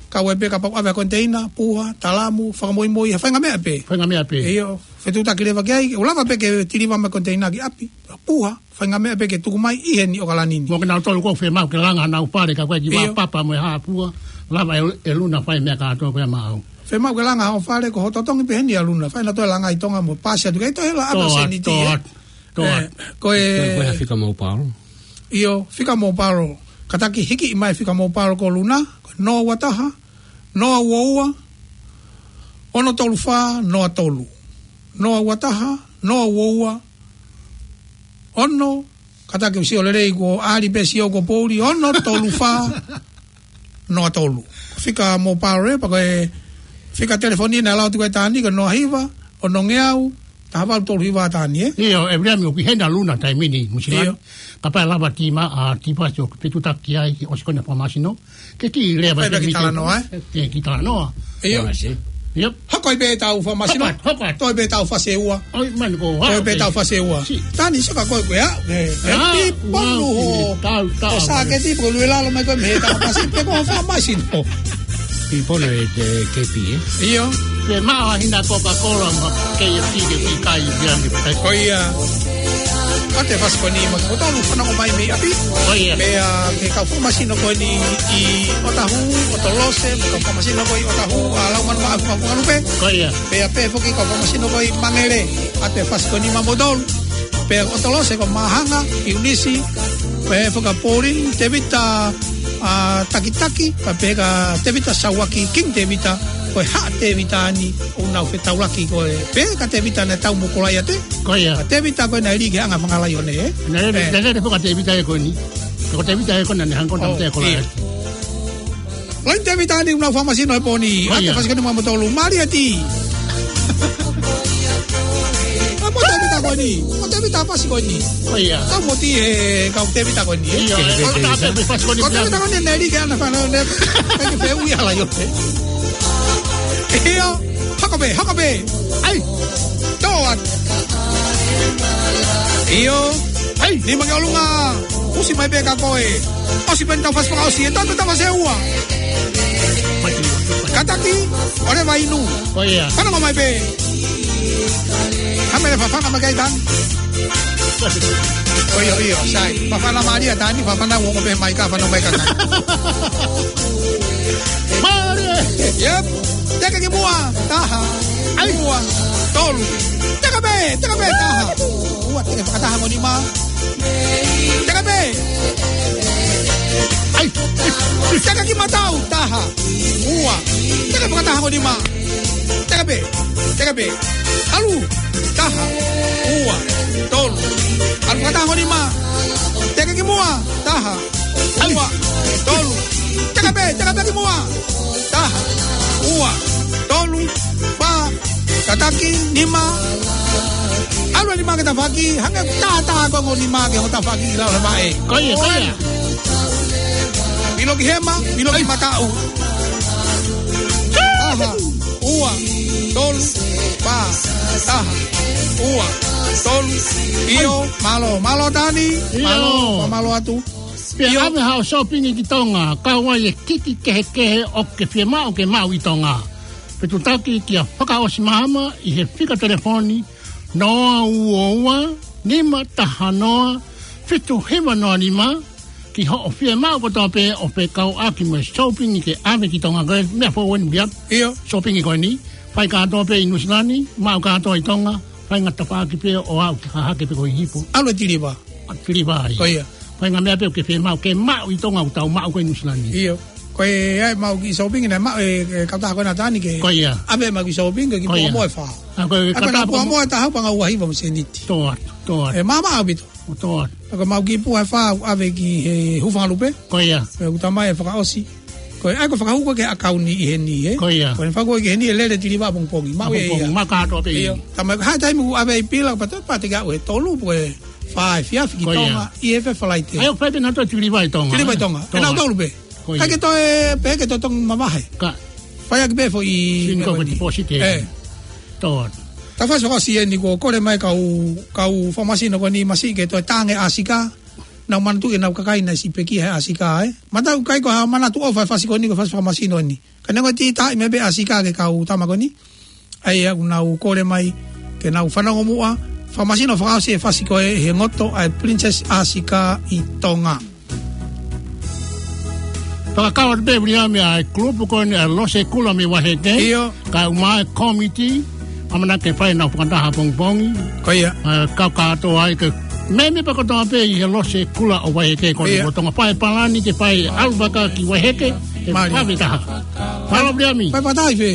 Kau ai pē kapau ʻave koniteina, puha, talamu, fakamoimoi, ha faʻahinga meʻa pē. Faʻahinga meʻa pē. ʻIo, fetuʻutaki leva ki ai, ʻoku lava pē ke tiliva mai koniteina ki ʻapi. Puha, faʻahinga meʻa pē ke tuku mai ʻi heni ʻAokalani ni. Mo kinautolu ʻoku fiemaʻu ke langa honau fale ka ko e kiʻi vā papa mo e hā puha, lava ʻe, ʻe Luna fai meʻa kātoa ko ia maʻau. Fiemaʻu ke langa hoʻo fale ko hoʻo totongi pē heni ʻa Luna. Fai ʻena toe langa ʻi Tonga mo pasi atu ki ai toe hela ʻave ʻo sēniti, ē. Toa, toa. Ko e, ko e fika mobile. ʻIo, fika mobile. Kātaki hiki mai fika mobile ko Luna, ko e noa ua taha, noa ua ua, ono tolu fā, noa tolu. Noa ua taha, noa ua ua, ono, kātaki ʻoku sio lelei ko ʻAli pē sio ko Pouli, ono tolu fā, noa tolu. Fika mobile pea ko e fika telefoni naʻe lau atu ko e taʻani ko e noa hiva, ono ngeau, taha valu tolu hiva taʻani, ē? ʻIo, ʻe Viliami ʻoku ʻi heni ʻa Luna taimi ni, Nuʻusila ni. ʻIo. Kapau ʻe lava tima, ʻa, Tivasi ʻo fetuʻutaki ai, ʻosi ko ena fakamasino. Ke kiʻi lea mai ki he talanoa, ē? Ke kiʻi talanoa. ʻIo. Fakamasino. ʻIo. Hoko ai pē ʻetau fakamasino. Hoko atu, hoko atu. Toe pē ʻetau fase ua. ʻOi, mani ko, toe pē ʻetau fase ua. Taʻani sio ka ko e ko ia. ʻE, ʻe, ʻa, piponu ua, ho. Tau, tau. Ko e sāketi, pē ko e lue lalo mai ko e mei he tau fasi, pē ko e fakamasino. Piponu e te kepi, ē? ʻIo. Pea maʻu ha hina Coca-Cola mo ha K F C ke kiʻi kai ia ni. Ko ia. ʻAte fasi ko eni mo e kimoutolu fanongo mai mei ʻapi. Ko ia. Pea ke kau fakamasino ko eni ʻi ʻOtahu, ʻOtolose, mo e kau fakamasino ko ē ʻi ʻOtahu, ʻa Laumanu mo Afu, Afu Ngalupe. Ko ia. Pea pehē foki kau fakamasino ko ē ʻi Mangele, ʻate fasi ko eni maʻamoutolu. Pea ʻOtolose ko Mahanga, ʻIunisi, pea foki Pauline, Tevita, ʻa, Takitaki, pea pehē kia Tevita Sauaki, King Tevita, ko e Haʻa Tevita ni, ʻoku nau fetaulaki ko ē. Pehē kia Tevita naʻe tau mo Kolaiate. Ko ia. Ko Tevita ko ē naʻe lī ki he anga fanga laione, ē? Naʻe, ē, naʻe, naʻe foki Tevita ē ko eni. Ko Tevita ē ko ena naʻe hangē ko e tau, ʻio, Tevita Kolaiate. Laini Tevita ni ʻoku nau fakamasino he pō ni. Ko ia. ʻAte fasi ko eni maʻamoutolu, Malieti. ʻA, mo Tevita ko eni. Mo Tevita fasi ko eni. Ko ia. Tau mo ti he kau Tevita ko eni, ē? ʻIo, ē, ko Tevita, Tevita. Fasi ko eni. Ko Tevita ko eni naʻe lī ki he anga fanga laione. Kae ke feʻui ʻa e laione. ʻIo. Hoko pē, hoko pē. ʻAi. Toa. ʻIo. ʻAi. Nima ki ʻolunga. ʻOsi mai pē kia koe. ʻOsi pē ʻetau fasi fakaʻosi, ʻe toe pē ʻetau fasi ua. Kātaki, ʻoleva inu. Ko ia. Fanongo mai pē. Hā meʻa ʻe fafanga mai ki ai taʻani. ʻIo, ʻio, sai. Fafanga mālie taʻani, fafanga ua ko pē mai ka, fanongo mai kia taʻani. Mālie. Yep. Teke ki muʻa, taha. ʻAi. Ua, tolu. Teke pē, teke pē, taha. Ua, teke fakataha mo nima. Teke pē. ʻAi. Teke ki matau, taha. Ua. Teke fakataha mo nima. Teke pē, teke pē. ʻAlu, taha. Ua, tolu. ʻAlu fakataha mo nima. Teke ki muʻa, taha. Ua, tolu. Teke pē, teke pē ki muʻa. Taha, ua, tolu, fā, kātaki, nima. ʻAlu e nima ki he tafaʻaki, hangē taha taha ko e ongo nima ki he ongo tafaʻaki ʻi lalo he vaʻe. Ko ia, ko ia. Vilo ki hema, vilo ki mataʻu. Taha, ua, tolu, fā, taha, ua, tolu, ʻio, mālō, mālō taʻani, ʻio. Mālō, mālō atu. Pea ʻave haʻo shopping ki Tonga, kau ai e kiki kehekehe ʻoku ke fiemaʻu ke maʻu ʻi Tonga. Fetuʻutaki kia Fakaʻosi Mahama ʻi he fika telefoni noa ua ua, nima taha noa, fitu hiva noa nima, ki hoʻo fiemaʻu kotoa pē ʻo fekauʻaki mo e shopping ke ʻave ki Tonga ko e meʻa foʻou eni pea. ʻIo. Shopping ko eni, fai kātoa pē ʻi Nuʻusila ni, maʻu kātoa ʻi Tonga, fai ngata paaki pē ʻo aʻu ki Hahake pe ko Hipo. ʻAlu e tiliva. ʻA, tiliva ai. Ko ia. Fai ngaahi meʻa pē ʻoku ke fiemaʻu, ke maʻu ʻi Tonga ʻoku tau maʻu ko ē ʻi Nuʻusila ni. ʻIo. Ko e ʻai maʻu ki shopping naʻe maʻu ʻe, ʻe kautaha ko ena taʻani ke. Ko ia. ʻAve maʻu ki shopping ke ki Puamoa ʻe fā. Ko ia. ʻA, ko e kautaha Puamoa ʻe taha panga ua hiva mo e sēniti. Toa, toa. ʻE māmā ʻaupito. Toa. Ka maʻu ki Puha ʻe fā, ʻave ki he Hūfangalupe. Ko ia. ʻE uta mai ʻe fakaʻosi. Ko e ʻai ko e fakahū ko ē ki he ʻakauni ʻi heni, ē? Ko ia. Ko e fakahū ki heni ʻe lele tiliva ʻapongipongi. Maʻu ʻapongipongi, ē ia. Maʻu kātoa pē. ʻIo. Tama ka ha taimi ʻoku ʻave ʻi pila, pea toe pātiki aʻu ʻe tolu, pe ko e Fā efiafi ki Tonga, ʻi he efiafi Falaite. ʻAi ʻo fai pē naʻa toe tiliva ʻi Tonga. Tiliva ʻi Tonga. ʻE nau tolu pē. Ka ke toe, pē ke toe tō ʻo mavahe. Ka. Fai ʻaki pē foʻi meʻa ko eni. Single deposit ē. ʻE. Tō. Tau fasi fakaʻosi eni kuo kole mai kau, kau fakamasino ko eni masiʻi ke toe tange ʻāsika. Nau manatuʻi ʻenau kakai naʻe siʻi pekia he ʻāsika ē. Matau ʻikai ko ha manatu ʻofa e fasi ko eni ko e fasi fakamasino eni. Ka neongo e titaʻi mai pē ʻāsika ki he kau tama ko eni. ʻA ia ʻoku nau kole mai ke nau fanongo muʻa. Fakamasino fakaʻosi e fasi ko ē he ngoto ʻa e Princess ʻĀsika ʻi Tonga. Fakakau atu pē Viliami ʻa e kulupu ko eni ʻa Lose Kula mei Vaiheke. ʻIo. Kae ʻumaʻā e kōmiti, ʻamanaki ke fai ʻenau fakataha pongipongi. Ko ia. ʻE, kau kātoa ai ke meʻa pē kotoa pē ʻi he Lose Kula ʻo Vaiheke ko eni. Ko ia. Tonga fai palani ke fai ʻalu vaka ki Vaiheke, ke fai taha. Mālō Viliami. Fai fakataha ʻi fē?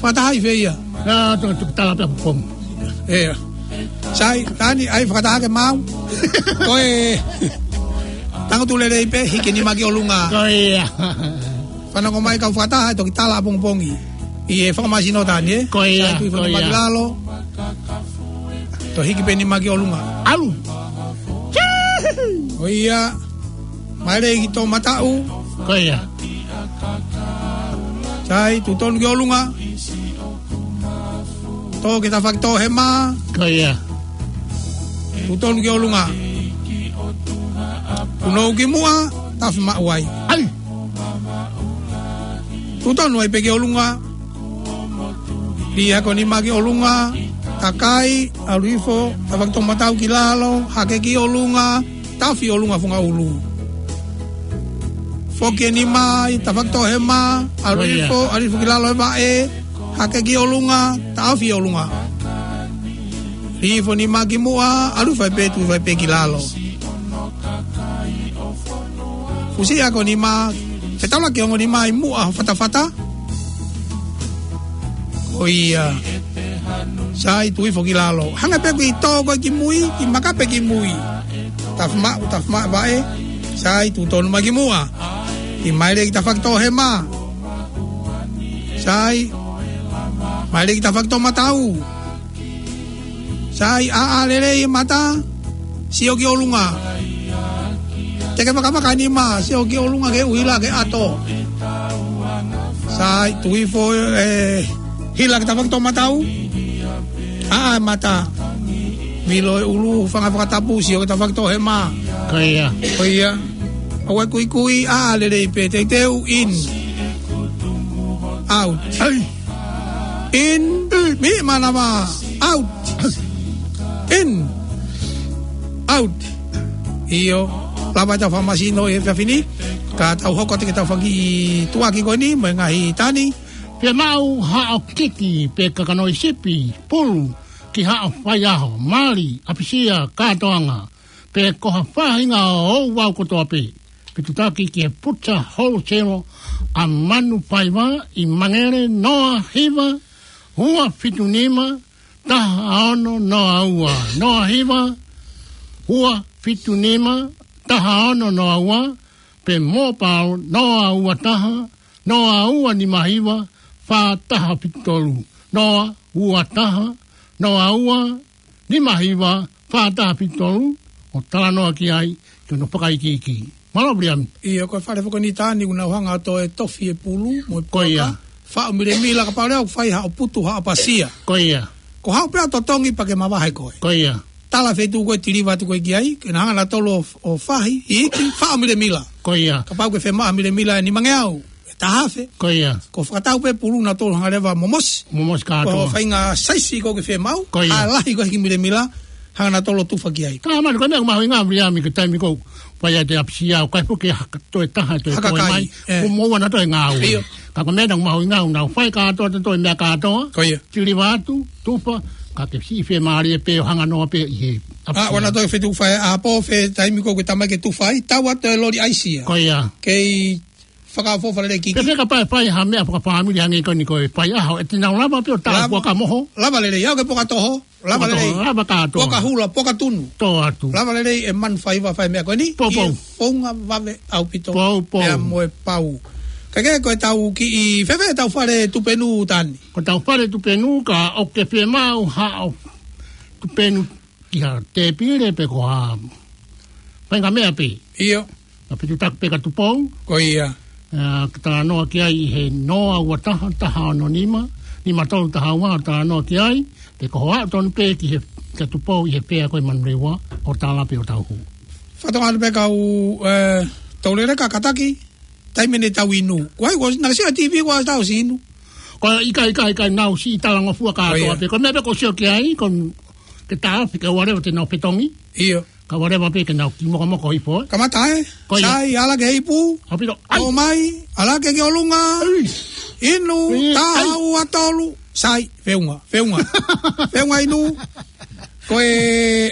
Fakataha ʻi fē ia? ʻA, to, to, tala pē pongipongi. ʻIo. Sai, Tani, ʻai fakataha ke maʻu. Ko e tangutu lelei pē, hiki nima ki ʻolunga. Ko ia. Fanongo mai kau fakataha, ʻe toki tala ʻapongipongi. ʻI he fakamasino Tani, ē? Ko ia, sai, tuʻi ko ia. Nima ki lalo. Toe hiki pē nima ki ʻolunga. ʻAlu. Ko ia. Mai lelei ki Toʻomataʻu. Ko ia. Sai, tuʻu tonu ki ʻolunga. Tō ki he tafaʻaki tō hema. Ko ia. Tuʻu tonu ki ʻolunga. Punou ki muʻa, tafi maʻu ai. ʻAi. Tuʻu tonu ai pē ki ʻolunga. Lī hake ʻo nima ki ʻolunga. Takai, ʻalu hifo, tafaʻaki Toʻomataʻu ki lalo, hake ki ʻolunga. Tafi ʻolunga funga ʻulu. Foki e nima ʻi he tafaʻaki tō hema, ʻalu hifo, ʻalu hifo ki lalo e vaʻe, hake ki ʻolunga, tafi ʻolunga. Lī hifo nima ki muʻa, ʻalu hifo ai pē, tuʻu hifo ai pē ki lalo. Fusi hake ʻo nima, fetaulaki ongo nima ʻi muʻa ho fatafata. Ko ia. Sai, tuʻu hifo ki lalo. Hanga pē ʻoku ke tō koe ki mui, ke makape ki mui. Tafi maʻu, tafi maʻu vaʻe. Sai, tuʻu tonu mai ki muʻa. Ke mai lelei ki he tafaʻaki tō hema. Sai. Mai lelei ki he tafaʻaki Toʻomataʻu. Sai, ʻāʻā lelei e mata. Sio ki ʻolunga. Te ke vakamaka nima, sio ki ʻolunga ke ʻuhila ke ʻato. Sai, tuʻu hifo, ē, hila ki he tafaʻaki Toʻomataʻu. ʻĀʻā e mata. Vilo e ʻulu, hūfanga he fakatapu, sio ki he tafaʻaki tō hema. Ko ia. Ko ia. ʻOua ʻe kuikui, ʻāʻā lelei pē, teuteu, in. Out. ʻAi. In, miʻi mānava, out. In, out. ʻIo, lava ʻetau fakamasino he efiafi ni, ka tau hoko atu ki he tafaʻaki tuʻuaki ko eni, mo e ngaahi Tani. Fiemaʻu haʻo kiki pe kakano ʻi sipi, pulu, ki haʻo faiʻaho, mali, ʻapisia, kātoanga, pe ko ha faʻahinga ʻo ouau kotoa pē. Fetuʻutaki ki he Puta Wholesale ʻa Manu Faiva ʻi Mangere, noa hiva, ua fitu nima, taha ono noa ua, noa hiva, ua fitu nima, taha ono noa ua, pe mobile noa ua taha, noa ua nima hiva, fā taha fitu tolu, noa ua taha, noa ua nima hiva, fā taha fitu tolu, ʻo talanoa ki ai, ki hono fakaikiiki. Mālō Viliami. ʻIo, ko e fale foki eni Tani ʻoku nau hanga ʻo toe tofi e pulu, mo e poka. Ko ia. Faʻu milemila kapau leva ʻoku fai haʻo putu, haʻo ʻapasia. Ko ia. Ko haʻo pē ʻa totongi pea ke mavahe koe. Ko ia. Tala feituʻu ko ē, tiliva atu koe ki ai, ke na hanga nautolu ʻo, ʻo fahi, iiki, faʻu milemila. Ko ia. Kapau ʻoku ke fiemaʻu milemila ʻe nimangeau, ʻe taha afe. Ko ia. Ko e fakatau pē pulu nautolu hanga leva momosi. Momosi kātoa. Ko e faʻahinga saisi ko ē ʻoku ke fiemaʻu. Ko ia. ʻA e lahi ko ē hiki milemila, hanga nautolu ʻo tufa ki ai. Ka mani ko e meʻa ʻoku mahuʻinga Viliami ki he taimi ko ē ʻoku fai ai e ʻapasia, ʻoku ʻikai foki ke haka toe taha, toe haka kai mai. ʻE. Ko e moʻua nautolu e ngāue. ʻIo. Ka ko e meʻa ʻoku mahuʻinga ʻoku nau fai kātoa, toe meʻa kātoa. Ko ia. Tiliva atu, tufa, ka ke siʻi fiemālie pē ʻo hanga noa pē ʻi he ʻapasia. ʻA, ʻoua naʻa toe fetuʻu fai ʻapō, fē taimi ko ē ʻoku ke talamai ke tufa ai, tau atu e loli ʻaisia. Ko ia. Kei fakaʻofoʻofa lelei kiki. Pea kapau ʻe fai ha meʻa fakafāmili hangē ko eni ko e faiʻaho, ʻe te nau lava pē ʻo tā, lava, poka moho. Lava lelei, ʻoku ke poka toho, lava lelei. Poka toho, lava kātoa. Poka hula, poka tunu. Tō atu. Lava lelei e Manu Faiva fai meʻa ko eni. Poupou. ʻIo, founga vave ʻaupito. Poupou. Pea mo e pau. Ka ke ko ʻetau kiʻi, fēfē ʻetau fale tupenu Tani? Ko ʻetau fale tupenu ka ʻoku ke fiemaʻu haʻo tupenu ki ha tēpile pe ko ha faʻahinga meʻa pē. ʻIo. Ka piti taki pē ka Tupou. Ko ia. Ā, ke talanoa ki ai ʻi he noa ua taha, taha ono nima, nima tolu taha ua, talanoa ki ai, pe ko hoʻo aʻu tonu pē ki he, ka Tupou ʻi he fea ko ē Manurewa, ʻo tala pē ʻo tau hū. Fatongia pē kau, ē, Touleleka, kātaki, taimi ʻe niʻihi tau inu. Ko hai, ko naʻe sio TV ko ʻetau ʻosi inu. Ko e ʻikai, ʻikai, ʻikai, naʻa ku siʻi talangofua kātoa pē. Ko e meʻa pē ʻoku ou sio ki ai, ko e ke taofi, ke ʻoua leva te nau fetongi. ʻIo. Ka ʻoua leva pē ke nau kiʻi mokomoko hifo, ē. Kamata, ē? Ko ia. Sai, ala ke ipu. ʻAupito, ai. ʻOmai, ala ke ki ʻolunga. Ai. Inu, ai. Taha, ua, tolu. Sai, feʻunga, feʻunga. Feʻunga inu. Ko e,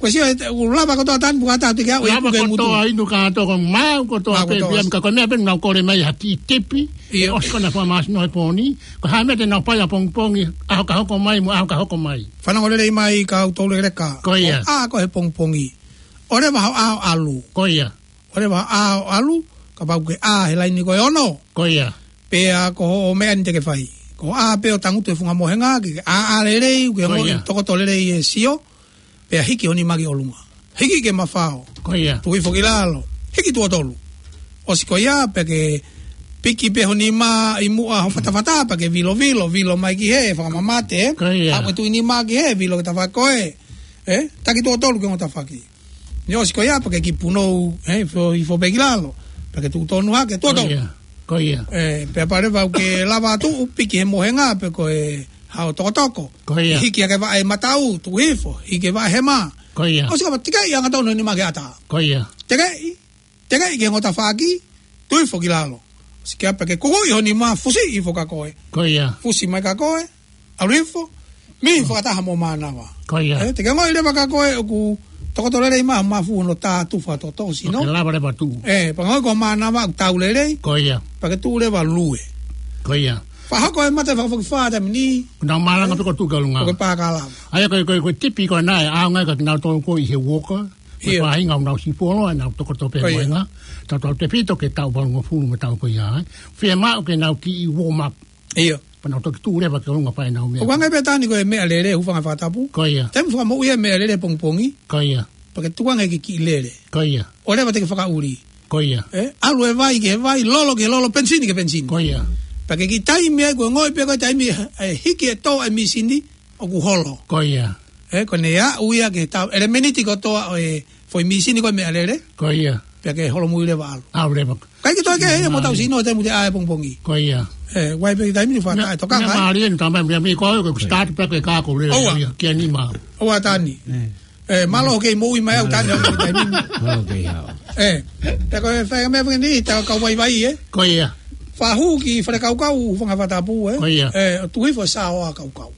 ko e sio, ē, ʻoku lava kotoa Tani, puka taha te ke aʻu, ē, lava kotoa inu kātoa, ko e maʻu kotoa pē, maʻu kotoa. Pea ka ko e meʻa pē naʻa ku kole mai ha kiʻi tipi, ʻio, ʻosi ko ena fakamāsino he pō ni, ko e hā e meʻa te nau fai ʻapongipongi, ʻaho ka hoko mai, mo e ʻaho ka hoko mai. Fanongo lelei mai kau Touleleka. Ko ia. ʻA ko e pongipongi. ʻOua leva haʻo ʻalu. Ko ia. ʻOua leva haʻo ʻalu, kapau ʻoku ke ʻā he laini ko e ono. Ko ia. Pea ko hoʻo meʻa ni te ke fai. Ko hoʻo ʻā pē ʻo tangutu he funga mohenga, ke ke ʻā, ʻā lelei, ke, ko ia, ongoʻi tokoto lelei e sio. Pea hiki ho nima ki ʻolunga. Hiki ki he mafao. Ko ia. Tuku hifo ki lalo. Hiki tuʻo tolu. ʻOsi ko ia, pea ke piki pē ho nima ʻi muʻa ho fatafata, pea ke vilo, vilo, vilo mai ki hē, fakamamate, ē? Ko ia. Aʻu e tuʻi nima ki hē, vilo ki tafaʻaki ko ē. Ē? Taki tuʻo tolu ki he ongo tafaʻaki. Naʻe ʻosi ko ia, pea ke kiʻi punou, ē, hifo, hifo pē ki lalo. Pea ke tuʻu tonu hake, tuʻo tolu. Ko ia. Ko ia. Ē, pea pale vau ke lava tuʻu, piki he mohenga, pe ko e haʻo tokotoko. Ko ia. Hiki hake vaʻe mataʻu, tuʻu hifo, hiki vaʻe hema. Ko ia. ʻOsi ka ma tikeʻi angatonu he nima ki he ʻatā. Ko ia. Tikeʻi, tikeʻi ki he ongo tafaʻaki, tuʻu hifo ki lalo. ʻOsi ko ia pea ke kukuʻi ho nima, fusi hifo kia koe. Ko ia. Fusi mai kia koe, ʻalu hifo, mihi fakataha mo mānava. Ko ia. Ē, te ke ongoʻi leva kia koe ʻoku tokoto lelei mai, mafu hono tā tufa tō sino. Ke lava leva tuʻu. Ē, pea ongoʻi ko mānava ʻoku tau lelei. Ko ia. Pea ke tuʻu leva lue. Ko ia. Fakahoko e mate fakafokifā taimi ni. Kuo nau malanga pē ko e tuʻu ki ʻolunga. Ko e pā ka lava. ʻA ia ko e, ko e, ko e tipi ko ena ʻe ʻaonga kia kinautolu ko ē ʻi he uoka. Ko e, ʻio, faʻahinga ʻoku nau siʻi fuoloa, ʻenau tokoto pē, ko ia, mohenga. Tautautefito ki he taʻu valungofulu mo e taʻu ko ia, ē. Fiemaʻu ke nau kiʻi warm up. ʻIo. Pea nau toki tuʻu leva ki ʻolunga fai ʻenau meʻa. ʻOku ʻi ai pē Tani ko e meʻalele, hūfanga he fakatapu. Ko ia. Taimi fakamoʻui e meʻalele pongipongi. Ko ia. Pea ke tukuange ke kiʻi lele. Ko ia. ʻOua leva te ke fakaʻuli. Ko ia. Ē, ʻalu e vai ki he vai, lolo ki he lolo, penisini ki he penisini. Ko ia. Pea ke kiʻi taimi ai ko e ongoʻi pē ko e taimi, ē, hiki e tō e misini, ʻoku holo. Ko ia. Ē, ko ʻene aʻu ia ki he tau, ʻelemeniti kotoa ʻo e foʻi misini ko e meʻalele. Ko ia. Pea ke holomui leva ʻalu. ʻAlu leva. ʻIkai ke toe kehe ia mo e tau sino he taimi te ʻā e pongipongi. Ko ia. Ē, ʻoku ʻi ai pē taimi ni fata, ē, toka ngai. Meʻa mālie ni tamai meʻa mi ko e, ko e start pē ko e kako lelei. ʻOua. Ia, kia nima. ʻOua Tani. Ē. Ē, mālō hoʻo kei moʻui mai au Tani, hoʻo kei taimi ni. Mālō hoʻo kei hao. Ē, pea ko e fai meʻa pē ni, tau kau vaivai, ē. Ko ia. Fahu ki Falekaukau, hūfanga he fakatapu, ē. Ko ia. Ē, tuʻu hifo e sāoa kaukau.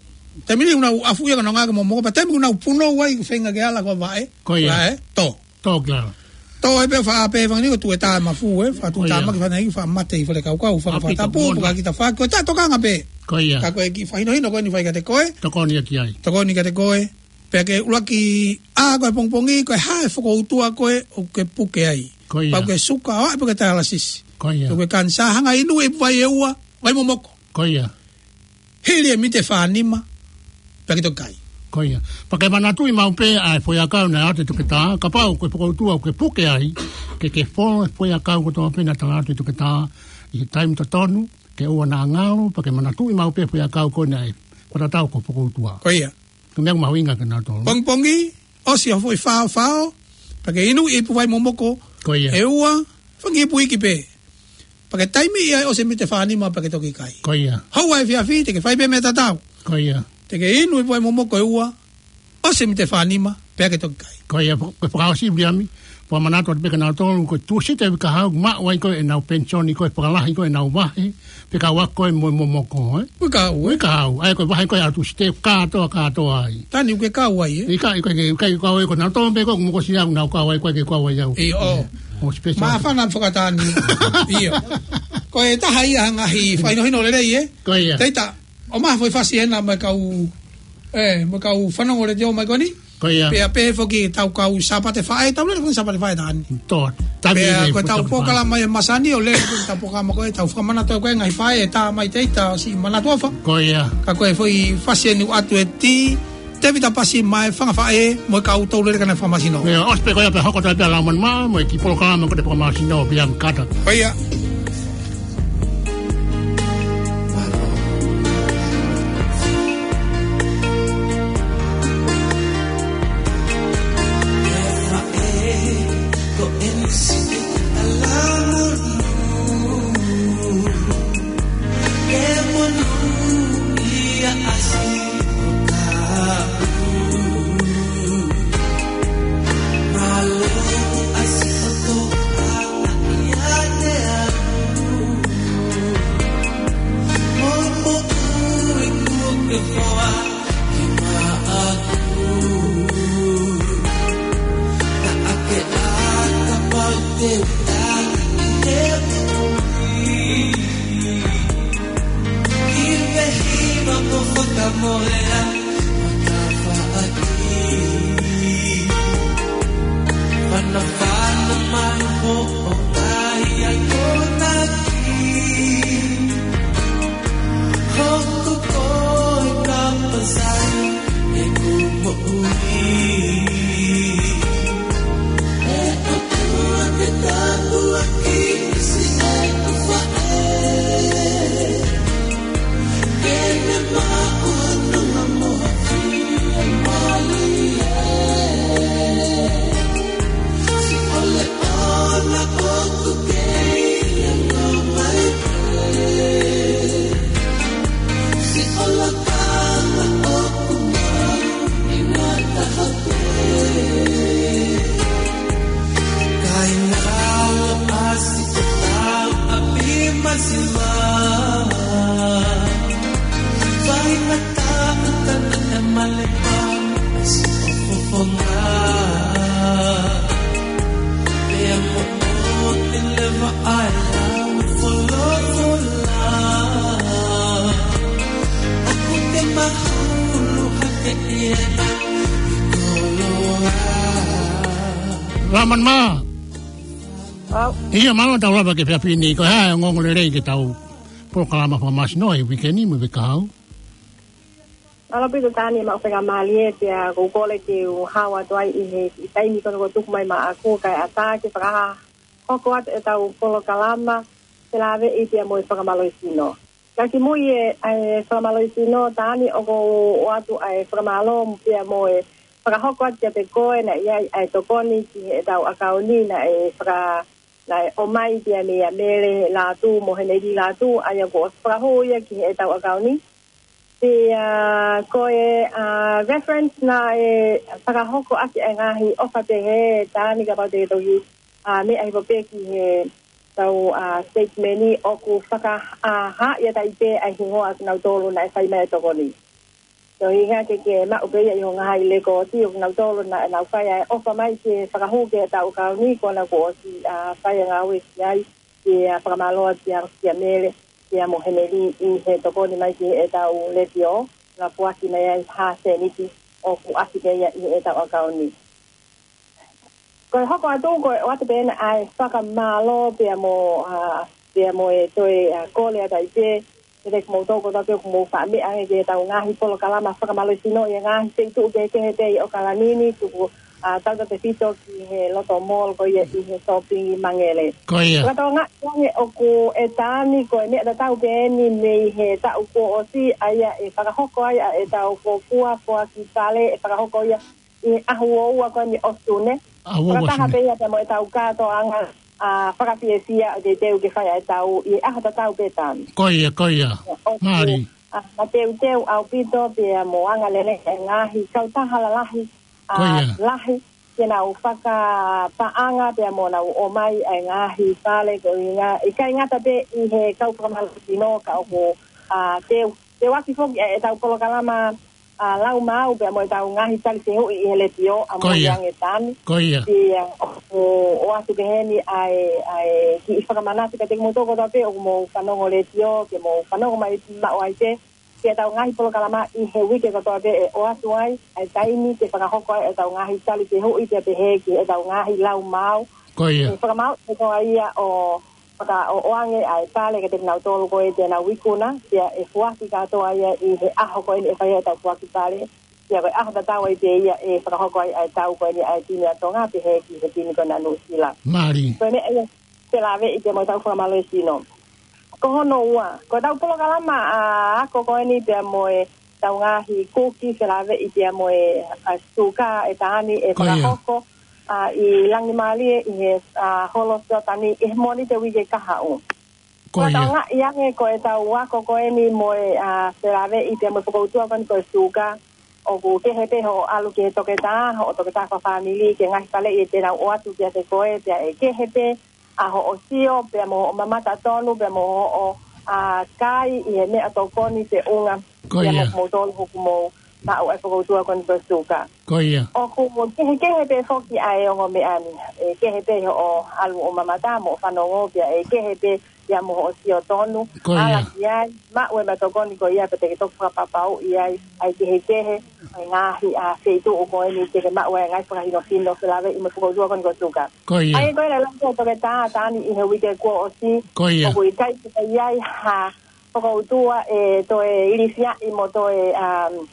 Taimi ni ʻoku nau afu ia ka nau ngāue ki he momoko, pea taimi ʻoku nau punou ai, feinga ke ala ko e vaʻe. Ko ia. Vaʻe, tō. Tō ki lalo. Tō ai pē faʻa pē fanga ni ko e tuʻu e tā mafu, ē, faʻa tuʻu, ko ia, tā maki fana i faʻa mate ʻi Falekaukau, hūfanga he fakatapu, ʻaupito, moʻoni, pea ka kita faku, ko e tā tokanga pē. Ko ia. Ka ko e kiʻi fakahinohino ko eni fai kiate koe. Tokoni ia ki ai. Tokoni kiate koe. Pea ke ʻuluaki ʻā ko e pongipongi, ko e hā e fokoutua ko ē ʻoku ke puke ai. Ko ia. Pau ke suka, ʻo ʻai pē ke talasisi. Ko ia. Pau ke kanisā, hanga inu e ipu vai ʻe ua, vai momoko. Ko ia. Hili e mite fā nima, pea ke toki kai. Ko ia. Pea ke manatuʻi maʻu pē ʻa e foʻiʻakau naʻe ʻoatu ʻe he toketā, kapau ko e fokoutua ʻoku ke puke ai, ke ke folo e foʻiʻakau kotoa pē naʻe tala atu ʻe he toketā, ʻi he taimi totonu, ke ʻoua naʻa ngalo, pea ke manatuʻi maʻu pē foʻiʻakau ko ē naʻe fakatatau ko e fokoutua. Ko ia. Ko e meʻa mahuʻinga kia nautolu. Pongipongi, ʻosi hoʻo foʻi faofao, pea ke inu e ipu vai momoko. Ko ia. ʻE ua, fanga kiʻi ipu iiki pē. Pea ke taimi ia ʻosi e mite fā nima pea ke toki kai. Ko ia. Houa efiafi, te ke fai pē meʻa tatau. Ko ia. Te ke inu e ipu vai momoko ʻe ua, ʻosi e mite fā nima, pea ke toki kai. Ko ia, ko e fakaʻosi Viliami, pea manatu atu pē kia nautolu, ko Tūsite uike kahaʻu, maʻu ai ko ē ʻenau penisoni ko ē, fakalahi ko ē ʻenau vahe, pea kau ai ko ē mo e momoko, ē? Uike kahaʻu, ē? Uike kahaʻu, ʻa ia ko e vahe ko ē ʻa Tūsite, kātoa, kātoa ai. Tani uike kahaʻu ai, ē? ʻIkai, ʻikai, ʻikai, ʻikai kau ai ko nautolu pē ko ē, mo ko Siau naʻa ku kau ai, ʻikai ke kau ai au. ʻIo. Mo special. Māfana fakatāni. ʻIo. Ko e taha ia ha ngaahi fakahinohino lelei, ē? Ko ia. Teita, ʻomai ha foʻi fasi ena mo e kau, ē, mo e kau fanongo letiō mai ko eni. Ko ia. Pea pehē foki ʻetau kau Sāpate Faʻē, tau lele foki Sāpate Faʻē taha ni. Tō, taimi pea ko ʻetau polokalama ia masani ʻo lele ko ʻetau polokalama ko ē, tau fakamanatu ko ē ngaahi faʻē ʻe tā mai teita siʻi manatu ʻofa. Ko ia. Ka ko e foʻi fasi eni ʻoku ʻoatu ʻe Tī, Tēvita Pasi mo e fanga faʻē mo e kau tau lele ka ne fakamasino. Ia, ʻosi pē ko ia pea hoko atu pē ʻa Laumani Mā mo e kiʻi polokalama ko ē fakamasino pea mo kata. ʻIo. Laumani Mā. Au. Ia, mālō tau lava ki he efiafi ni, ko e hā e ongoongo lelei ki heʻetau polokalama fakamasino ʻi he uike ni mo e uike kahaʻu. Mālō ʻaupito Tani, maʻu faingamālie pea ʻoku ou kole ke u hao atu ai ʻi he kiʻi taimi ko eni kuo tuku mai maʻaku kae ʻatā ke fakahoko atu ʻetau polokalama felāveʻi pea mo e fakamālohisino. Ka kimuʻa e, e fakamālohisino Tani, ʻoku ou ʻoatu ʻa e fakamālō pea mo e fakahoko atu kiate koe naʻe ʻi ai ʻa e tokoni ki heʻetau ʻakauni naʻe faka-, naʻe ʻomai pea meia Mele Lātū mo Heneli Lātū, ʻa ia kuo ʻosi fakahū ia ki heʻetau ʻakauni. Pea ko e, ʻa, reference naʻe fakahoko ʻaki ʻa e ngaahi ʻofa pehē Tani, kapau te ke toki, ʻa, meʻa hifo pē ki heʻetau, ʻa, statement ni, ʻoku faka-, ʻa, hā ia tai pē ʻa e hingoa ʻo kinautolu naʻe fai mai e tokoni. Ko e ʻuhinga ke ke maʻu pē ia ʻi hoʻo ngaahi lekooti ʻo kinautolu naʻa nau fai ʻa e ʻofa mai ke fakahū ki heʻetau ʻakauni, ko ena kuo ʻosi, ʻa, fai ʻa e ngāue ki ai, ke, ʻa, fakamālō atu kia, kia Mele, kia mo Heneli ʻi he tokoni mai ki heʻetau letiō, naʻa foaki mai ai ha sēniti ʻoku ʻasi pē ia ʻi heʻetau ʻakauni. Ko e hoko atu, ko e ʻoatu pē ena ʻa e fakamālō pea mo, ʻa, pea mo e toe, ʻa, kole atu ai pē, kiate kimoutolu kotoa pē ʻoku mou faʻa meʻa ange ki heʻetau ngaahi polokalama fakamālohisino ʻi he ngaahi feituʻu kehekehe pē ʻi ʻAokalani ni, tuku, ʻa, tautautefito ki he Lotto Mall ko ia ʻi he Sōpingi Mangele. Ko ia. Fakatokangaʻi ange ʻoku, ʻe Tani, ko e meʻa tatau pē eni mei he taʻu kuo ʻosi, ʻa ia ʻe fakahoko ai ʻa ʻetau fuofua foaki pale, ʻe fakahoko ia ʻi he ʻaho uaua ko eni ʻo Sune. ʻAho uaua Sune. Fakataha pē ia pea mo ʻetau kātoanga, ʻa, fakafiefia ʻoku teuteu ke fai ʻa e tau ʻi he ʻaho tatau pē Tani. Ko ia, ko ia. ʻOku, mālie. ʻA, mateuteu ʻaupito pea mo angalelei e ngaahi kautaha lalahi, ʻa, ko ia, lahi, ke nau fakapaʻanga pea mo nau ʻomai ʻa e ngaahi pale ko ia. ʻIkai ngata pē ʻi he kau fakamālohisino ka ʻoku, ʻa, teu, teuaki foki ʻa ʻetau polokalama ʻa, lau maau pea mo ʻetau ngaahi tali fehuʻi ʻi he letiō ʻa, ko ia, Moʻunga Tani. Ko ia. Pea ʻoku, ʻoatu pē heni ʻa e, ʻa e kiʻi fakamanatu kiate kimoutolu kotoa pē ʻoku mou fanongo letiō, ke mou fanongo mai maʻu ai pē ki heʻetau ngaahi polokalama ʻi he uike kotoa pē ʻe ʻoatu ai ʻa e taimi ke fakahoko ai ʻetau ngaahi tali fehuʻi pea pehē ki heʻetau ngaahi lau maau. Ko ia. ʻE fakamaau ʻe koa ia ʻo fakaʻoʻoange ʻa e pale kiate kinautolu ko ē te nau ikuna, pea ʻe foaki kātoa ia ʻi he ʻaho ko eni ʻe fai ai ʻetau foaki pale. Pea ko e ʻaho tatau ai pē ia ʻe fakahoko ai ʻa e tau ko eni ʻa e timi ʻa Tonga pehē ki he timi ko ena ʻa Nuʻusila. Mālie. Ko e meʻa ia ʻoku lave ʻi he mo e tau fakamālohisino. Ko hono ua, ko e tau polokalama ʻa e ako ko eni pea mo e tau ngaahi kuki felāveʻi pea mo e, ʻa, suka ʻe taha ni ʻe fakahoko, ʻa, ʻi Langimālie ʻi he, ʻa, holo Siotani ʻi he Mōnite uike kahaʻu. Ko ia. Fakatokangaʻi ange ko e tau ako ko eni mo e, ʻa, felāveʻi pea mo e fokoutua ko eni ko e suka, ʻoku kehe pē hoʻo ʻalu ki he toketā, hoʻo toketā fakafāmili, ki he ngaahi faleʻi ʻe te nau ʻoatu kiate koe, pea ʻe kehe pē ʻa hoʻo sio, pea mo hoʻo mamata tonu, pea mo hoʻo, ʻa, kai ʻi he meʻatokoni feʻunga. Ko ia. Pea mo kimoutolu ʻoku mou maʻu ʻa e fokoutua ko eni ko e suka. Ko ia. ʻOku kehekehe pē foki ʻa e ongo meʻa ni, ʻe kehe pē hoʻo ʻalu ʻo mamata mo hoʻo fanongo, pea ʻe kehe pē ia mo hoʻo sio tonu. Ko ia. ʻAla ki ai, maʻu e meʻatokoni ko ia pea te ke toki fakapapauʻi ai ʻa e kehekehe ʻa e ngaahi, ʻa, feituʻu ko eni te ke maʻu ai ngaahi fakahinohino felāveʻi mo e fokoutua ko eni ko e suka. Ko ia. ʻA ia ko e lelei ko e toketā ʻa Taʻani ʻi he uike kuo ʻosi. Ko ia. ʻOku ʻikai ke ʻi ai ha fokoutua ʻe toe ilifiaʻi mo toe, um,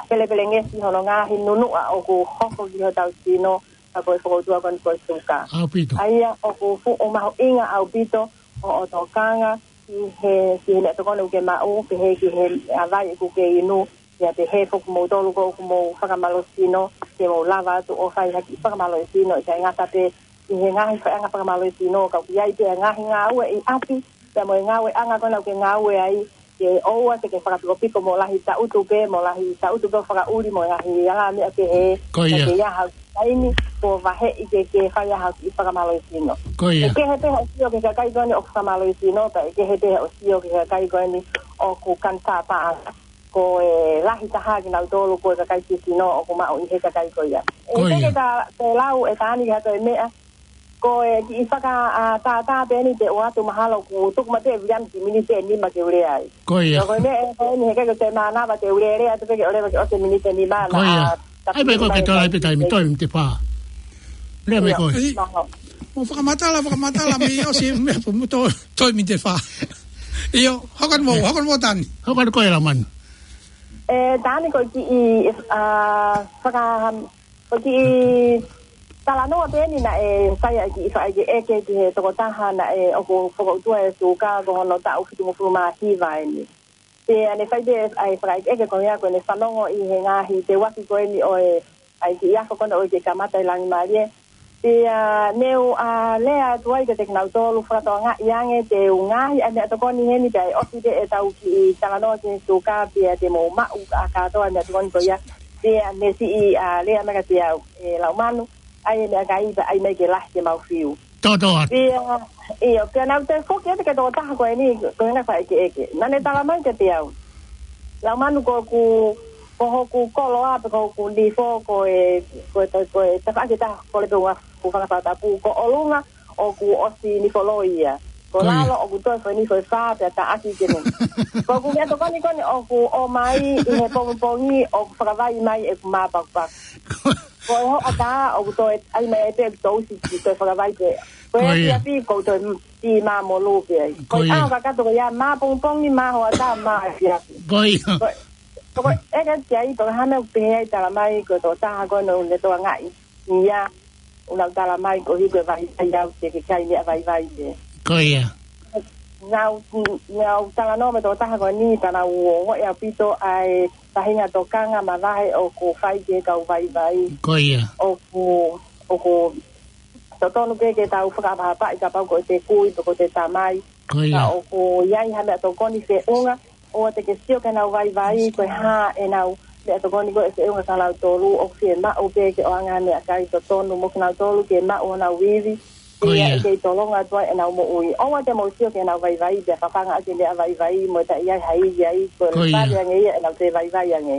pelepelengesi hono ngaahi nunuʻa ʻoku hoko ki hotau sino, ka ko e fokoutua ko eni ko e suka. ʻAupito. ʻA ia ʻoku fuʻu mahuʻinga ʻaupito hoʻo tokanga ki he, ki he meʻatokoni ʻoku ke maʻu, pehē ki he, ʻa, vai ʻoku ke inu, pea pehē foki moutolu ko ʻoku mou fakamālohisino, ke mou lava atu ʻo fai ha kiʻi fakamālohisino, ʻikai ngata pē ʻi he ngaahi faʻahinga fakamālohisino, ka ʻoku ʻi ai pē ngaahi ngāue ʻi ʻapi, pea mo e ngāueʻanga ko ena ʻoku ke ngāue ai, ke ʻoua te ke fakapikopiko mo lahi taʻutu pē, mo lahi taʻutu pē ʻo fakaʻuli mo e ngaahi ala meʻa pehē. Ko ia. Ka ke ʻi ai ha taimi kuo vaheʻi ke, ke fai ai ha kiʻi fakamālohisino. Ko ia. ʻE kehe pē hoʻo sio ki he kakai ko eni ʻoku fakamālohisino, pea ʻe kehe pē hoʻo sio ki he kakai ko eni ʻoku kantāpaʻanga. Ko e lahi taha kinautolu ko e kakai sisino ʻoku maʻu ʻi he kakai ko ia. Ko ia. ʻE kehe ka te lau ʻe Taʻani ki ha toe meʻa, ko e kiʻi faka, ʻa, tātā pē eni te u ʻoatu mahalo ʻoku tuku mai pē ʻe Viliami kiʻi miniti ʻe nima ke u lea ai. Ko ia. Ko e meʻa ē ko eni he ʻikai ke te mānava te u lea, lea atu pē ke ʻoleva ke ʻosi e miniti ʻe nima. Ko ia. ʻAi pē ko e ke tō ai pē taimi, toe miniti ʻe fā. Lea mai koe. ʻIo. Mou fakamatala, fakamatala, mei ʻosi e meʻa pē mo toe, toe miniti ʻe fā. ʻIo, hoko atu mou, hoko atu mou Taʻani. Hoko atu koe Laumanu. ʻE, Taʻani ko e kiʻi, ʻa, faka-, ko e kiʻi talanoa pē eni naʻe fai ai e kiʻi fakaʻekeʻeke ki he tokotaha naʻe ʻoku fokoutua e suka ko hono taʻu fitungofulu mā hiva eni. Pea ne fai pē ʻa e fakaʻekeʻeke ko ia ko ʻene fanongo ʻi he ngaahi teuaki ko eni ʻo e, ʻa e kiʻi ako ko ena ʻoku kamata ʻi Langimālie. Pea ne u, ʻa, lea atu ai kiate kinautolu fakatokangaʻi ange te u ngaohi ʻa e meʻatokoni heni pea ʻe ʻosi pē ʻetau kiʻi talanoa ki he suka pea te mou maʻu ʻa kātoa e meʻatokoni ko ia. Pea ne siʻi, ʻa, lea mai kiate au, ʻe Laumanu, ʻai e meʻakai pea ʻai mai ke lahi ke mau fiu. Tōtōatu. Pea, ʻio, pea naʻa ku toe foki atu ki he tokotaha ko eni, ko ʻene fakaʻekeʻeke. Naʻa ne tala mai kiate au, Laumanu, ko hoku, ko hoku koloa pe ko hoku nifo, ko e, ko e, ko e tafaʻaki ʻe taha, kole pē ʻo u fanga fakatapu, ko ʻolunga ʻoku ʻosi nifo loi ia. Ko ia. Ko lalo ʻoku toe foʻi nifo ʻe fā pea taʻaki ke ne. Ko hoku meʻatokoni ko eni ʻoku ʻomai ʻi he pongipongi ʻoku fakavai mai ʻeku māpakupaku. Ko e hoʻatā ʻoku toe ʻai mai ai pē ʻeku tousi ke toe fakavai pē. Ko e, ko ia, ʻapiʻapi ʻoku toe m-, tī māmolu pē ai. Ko ia. Ko e ʻaho kakato ko ia, mā pongipongi, mā hoʻatā, mā ʻapiʻapi. Ko ia. Ko, ko e ʻeke ki ai, pe ko e hā e meʻa ʻoku pehē ai, tala mai ko e tokotaha ko ena ʻoku ne tokangaʻi ia, ʻoku nau tala mai koeʻuhi ko e vaivai au te ke kai meʻa vaivai pē. Ko ia. Naʻa ku, naʻa ku talanoa mo e tokotaha ko eni pea naʻa ku ongoʻi ʻaupito ʻa e faʻahinga tokanga mavahe ʻoku fai ki he kau vaivai. Ko ia. ʻOku, ʻoku totonu pē ke tau fakaʻapaʻapaʻi kapau ko ʻete kui pe ko ʻete tamai. Ko ia. Ka ʻoku ʻi ai ha meʻatokoni feʻunga, ʻoua te ke sio ki heʻenau vaivai, ko e hā ʻenau meʻatokoni ko ē feʻunga kia nautolu, ʻoku fiemaʻu pē ke ʻoange ha meʻakai totonu mo kinautolu ke maʻu honau ivi. Ko ia. Pea ʻe kei tolonga atu ai ʻenau moʻui. ʻOua te mou sio ki heʻenau vaivai, pea fafanga ʻaki e meʻa vaivai, mo e taʻe ʻi ai ha ivi ai, ko e, ko ia, lele ange ia ʻenau toe vaivai ange.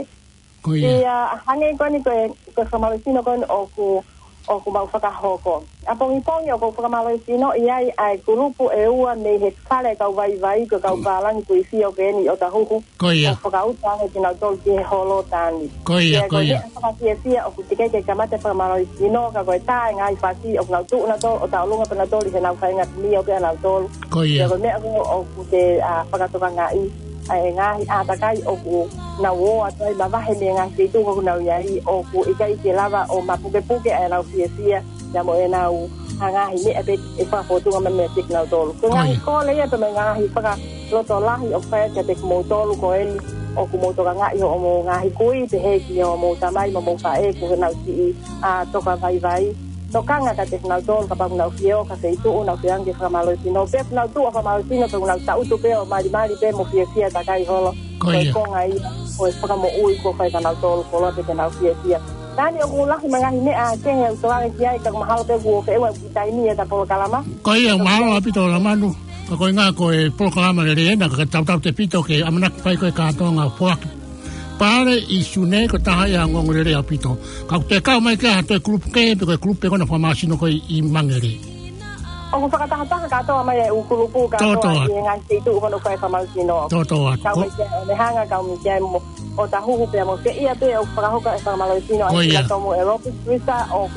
Ko ia. Pea hangē ko eni ko e, ko e fakamālohisino ko eni ʻoku, ʻoku mau fakahoko. ʻApongipongi ʻoku ou fakamālohisinoʻi ai ʻa e kulupu ʻe ua mei he fale kau vaivai, ko e kau pālangi kuifio ko eni ʻi ʻOtahuhu. Ko ia. ʻO fakauta ange kinautolu ki he holo Taʻani. Ko ia, pea ko ia, ko e meʻa fakafiefia ʻoku teʻeki ke kamata e fakamālohisino, ka ko e tā e ngaahi fasi ʻoku nau tuʻu nautolu ʻo tauʻolunga pē nautolu ʻi heʻenau faʻahinga timi ʻo pē ʻanautolu. Ko ia. Pea ko e meʻa ko ē ʻoku te, ʻa, fakatokangaʻi. ʻa e ngaahi ʻātakai ʻoku nau ō atu ai, mavahe mei he ngaahi feituʻu ʻoku nau ʻi ai, ʻoku ʻikai ke lava ʻo mapukepuke ʻa ʻenau fiefia, ia mo ʻenau ngaahi meʻa pē ʻe fakafōtunga mai meiate kinautolu. Ko e ngaahi Ko ia. kole ia pē mo e ngaahi fakalotolahi ʻoku fai kiate kimoutolu ko eni, ʻoku mou tokangaʻi hoʻomou ngaahi kui, pehē ki hoʻomou tamai mo homou faʻē, ko ʻenau siʻi, ʻa, toka vaivai. Tokanga kiate kinautolu kapau ʻoku nau fie ō ki ha feituʻu, nau fie ʻange fakamālohisino. Pea ʻoku nau tuʻu ʻo fakamālohisino, pea ʻoku nau tangutu pē ʻo malimali pē mo fiefia takai holo. Ko Ko e ia. konga ia ʻo e fakamoʻui kuo fai kia kinautolu, koloa pē ke nau fiefia. Tani ʻoku lahi mo e ngaahi meʻa kehe ʻoku tokanga ki ai, ka ʻoku mahalo pē kuo feʻunga ʻeku taimi ʻeta polokalama. Ko ia, mahalo ʻaupito Lamanu. Ka ko e ngaahi ko e polokalama lelei ena, ka tautautefito ke ʻamanaki fai ko e kātoanga foaki. Pale ʻi Sune ko e taha ia ʻa e ongoongolelei ʻaupito. Ka ʻoku te kau mai ki ha toe kulupu kehe pe ko e kulupu pē ko ena fakamālohisino ko ē ʻi Mangere. ʻOku fakatahataha kātoa mai e ʻū kulupu kātoa Tōtō atu. ʻi he ngaahi feituʻu ko ena ʻoku fai fakamālohisino. Tōtō atu. Kau Ko mai ki ai ʻo Nehanga, kau mai ki ai mo ʻOtahuhu pea mo Feia pē ʻoku fakahoko e fakamālohisino ʻa Ko ia. Sila Tomu ʻe Lopes Tuisa ʻoku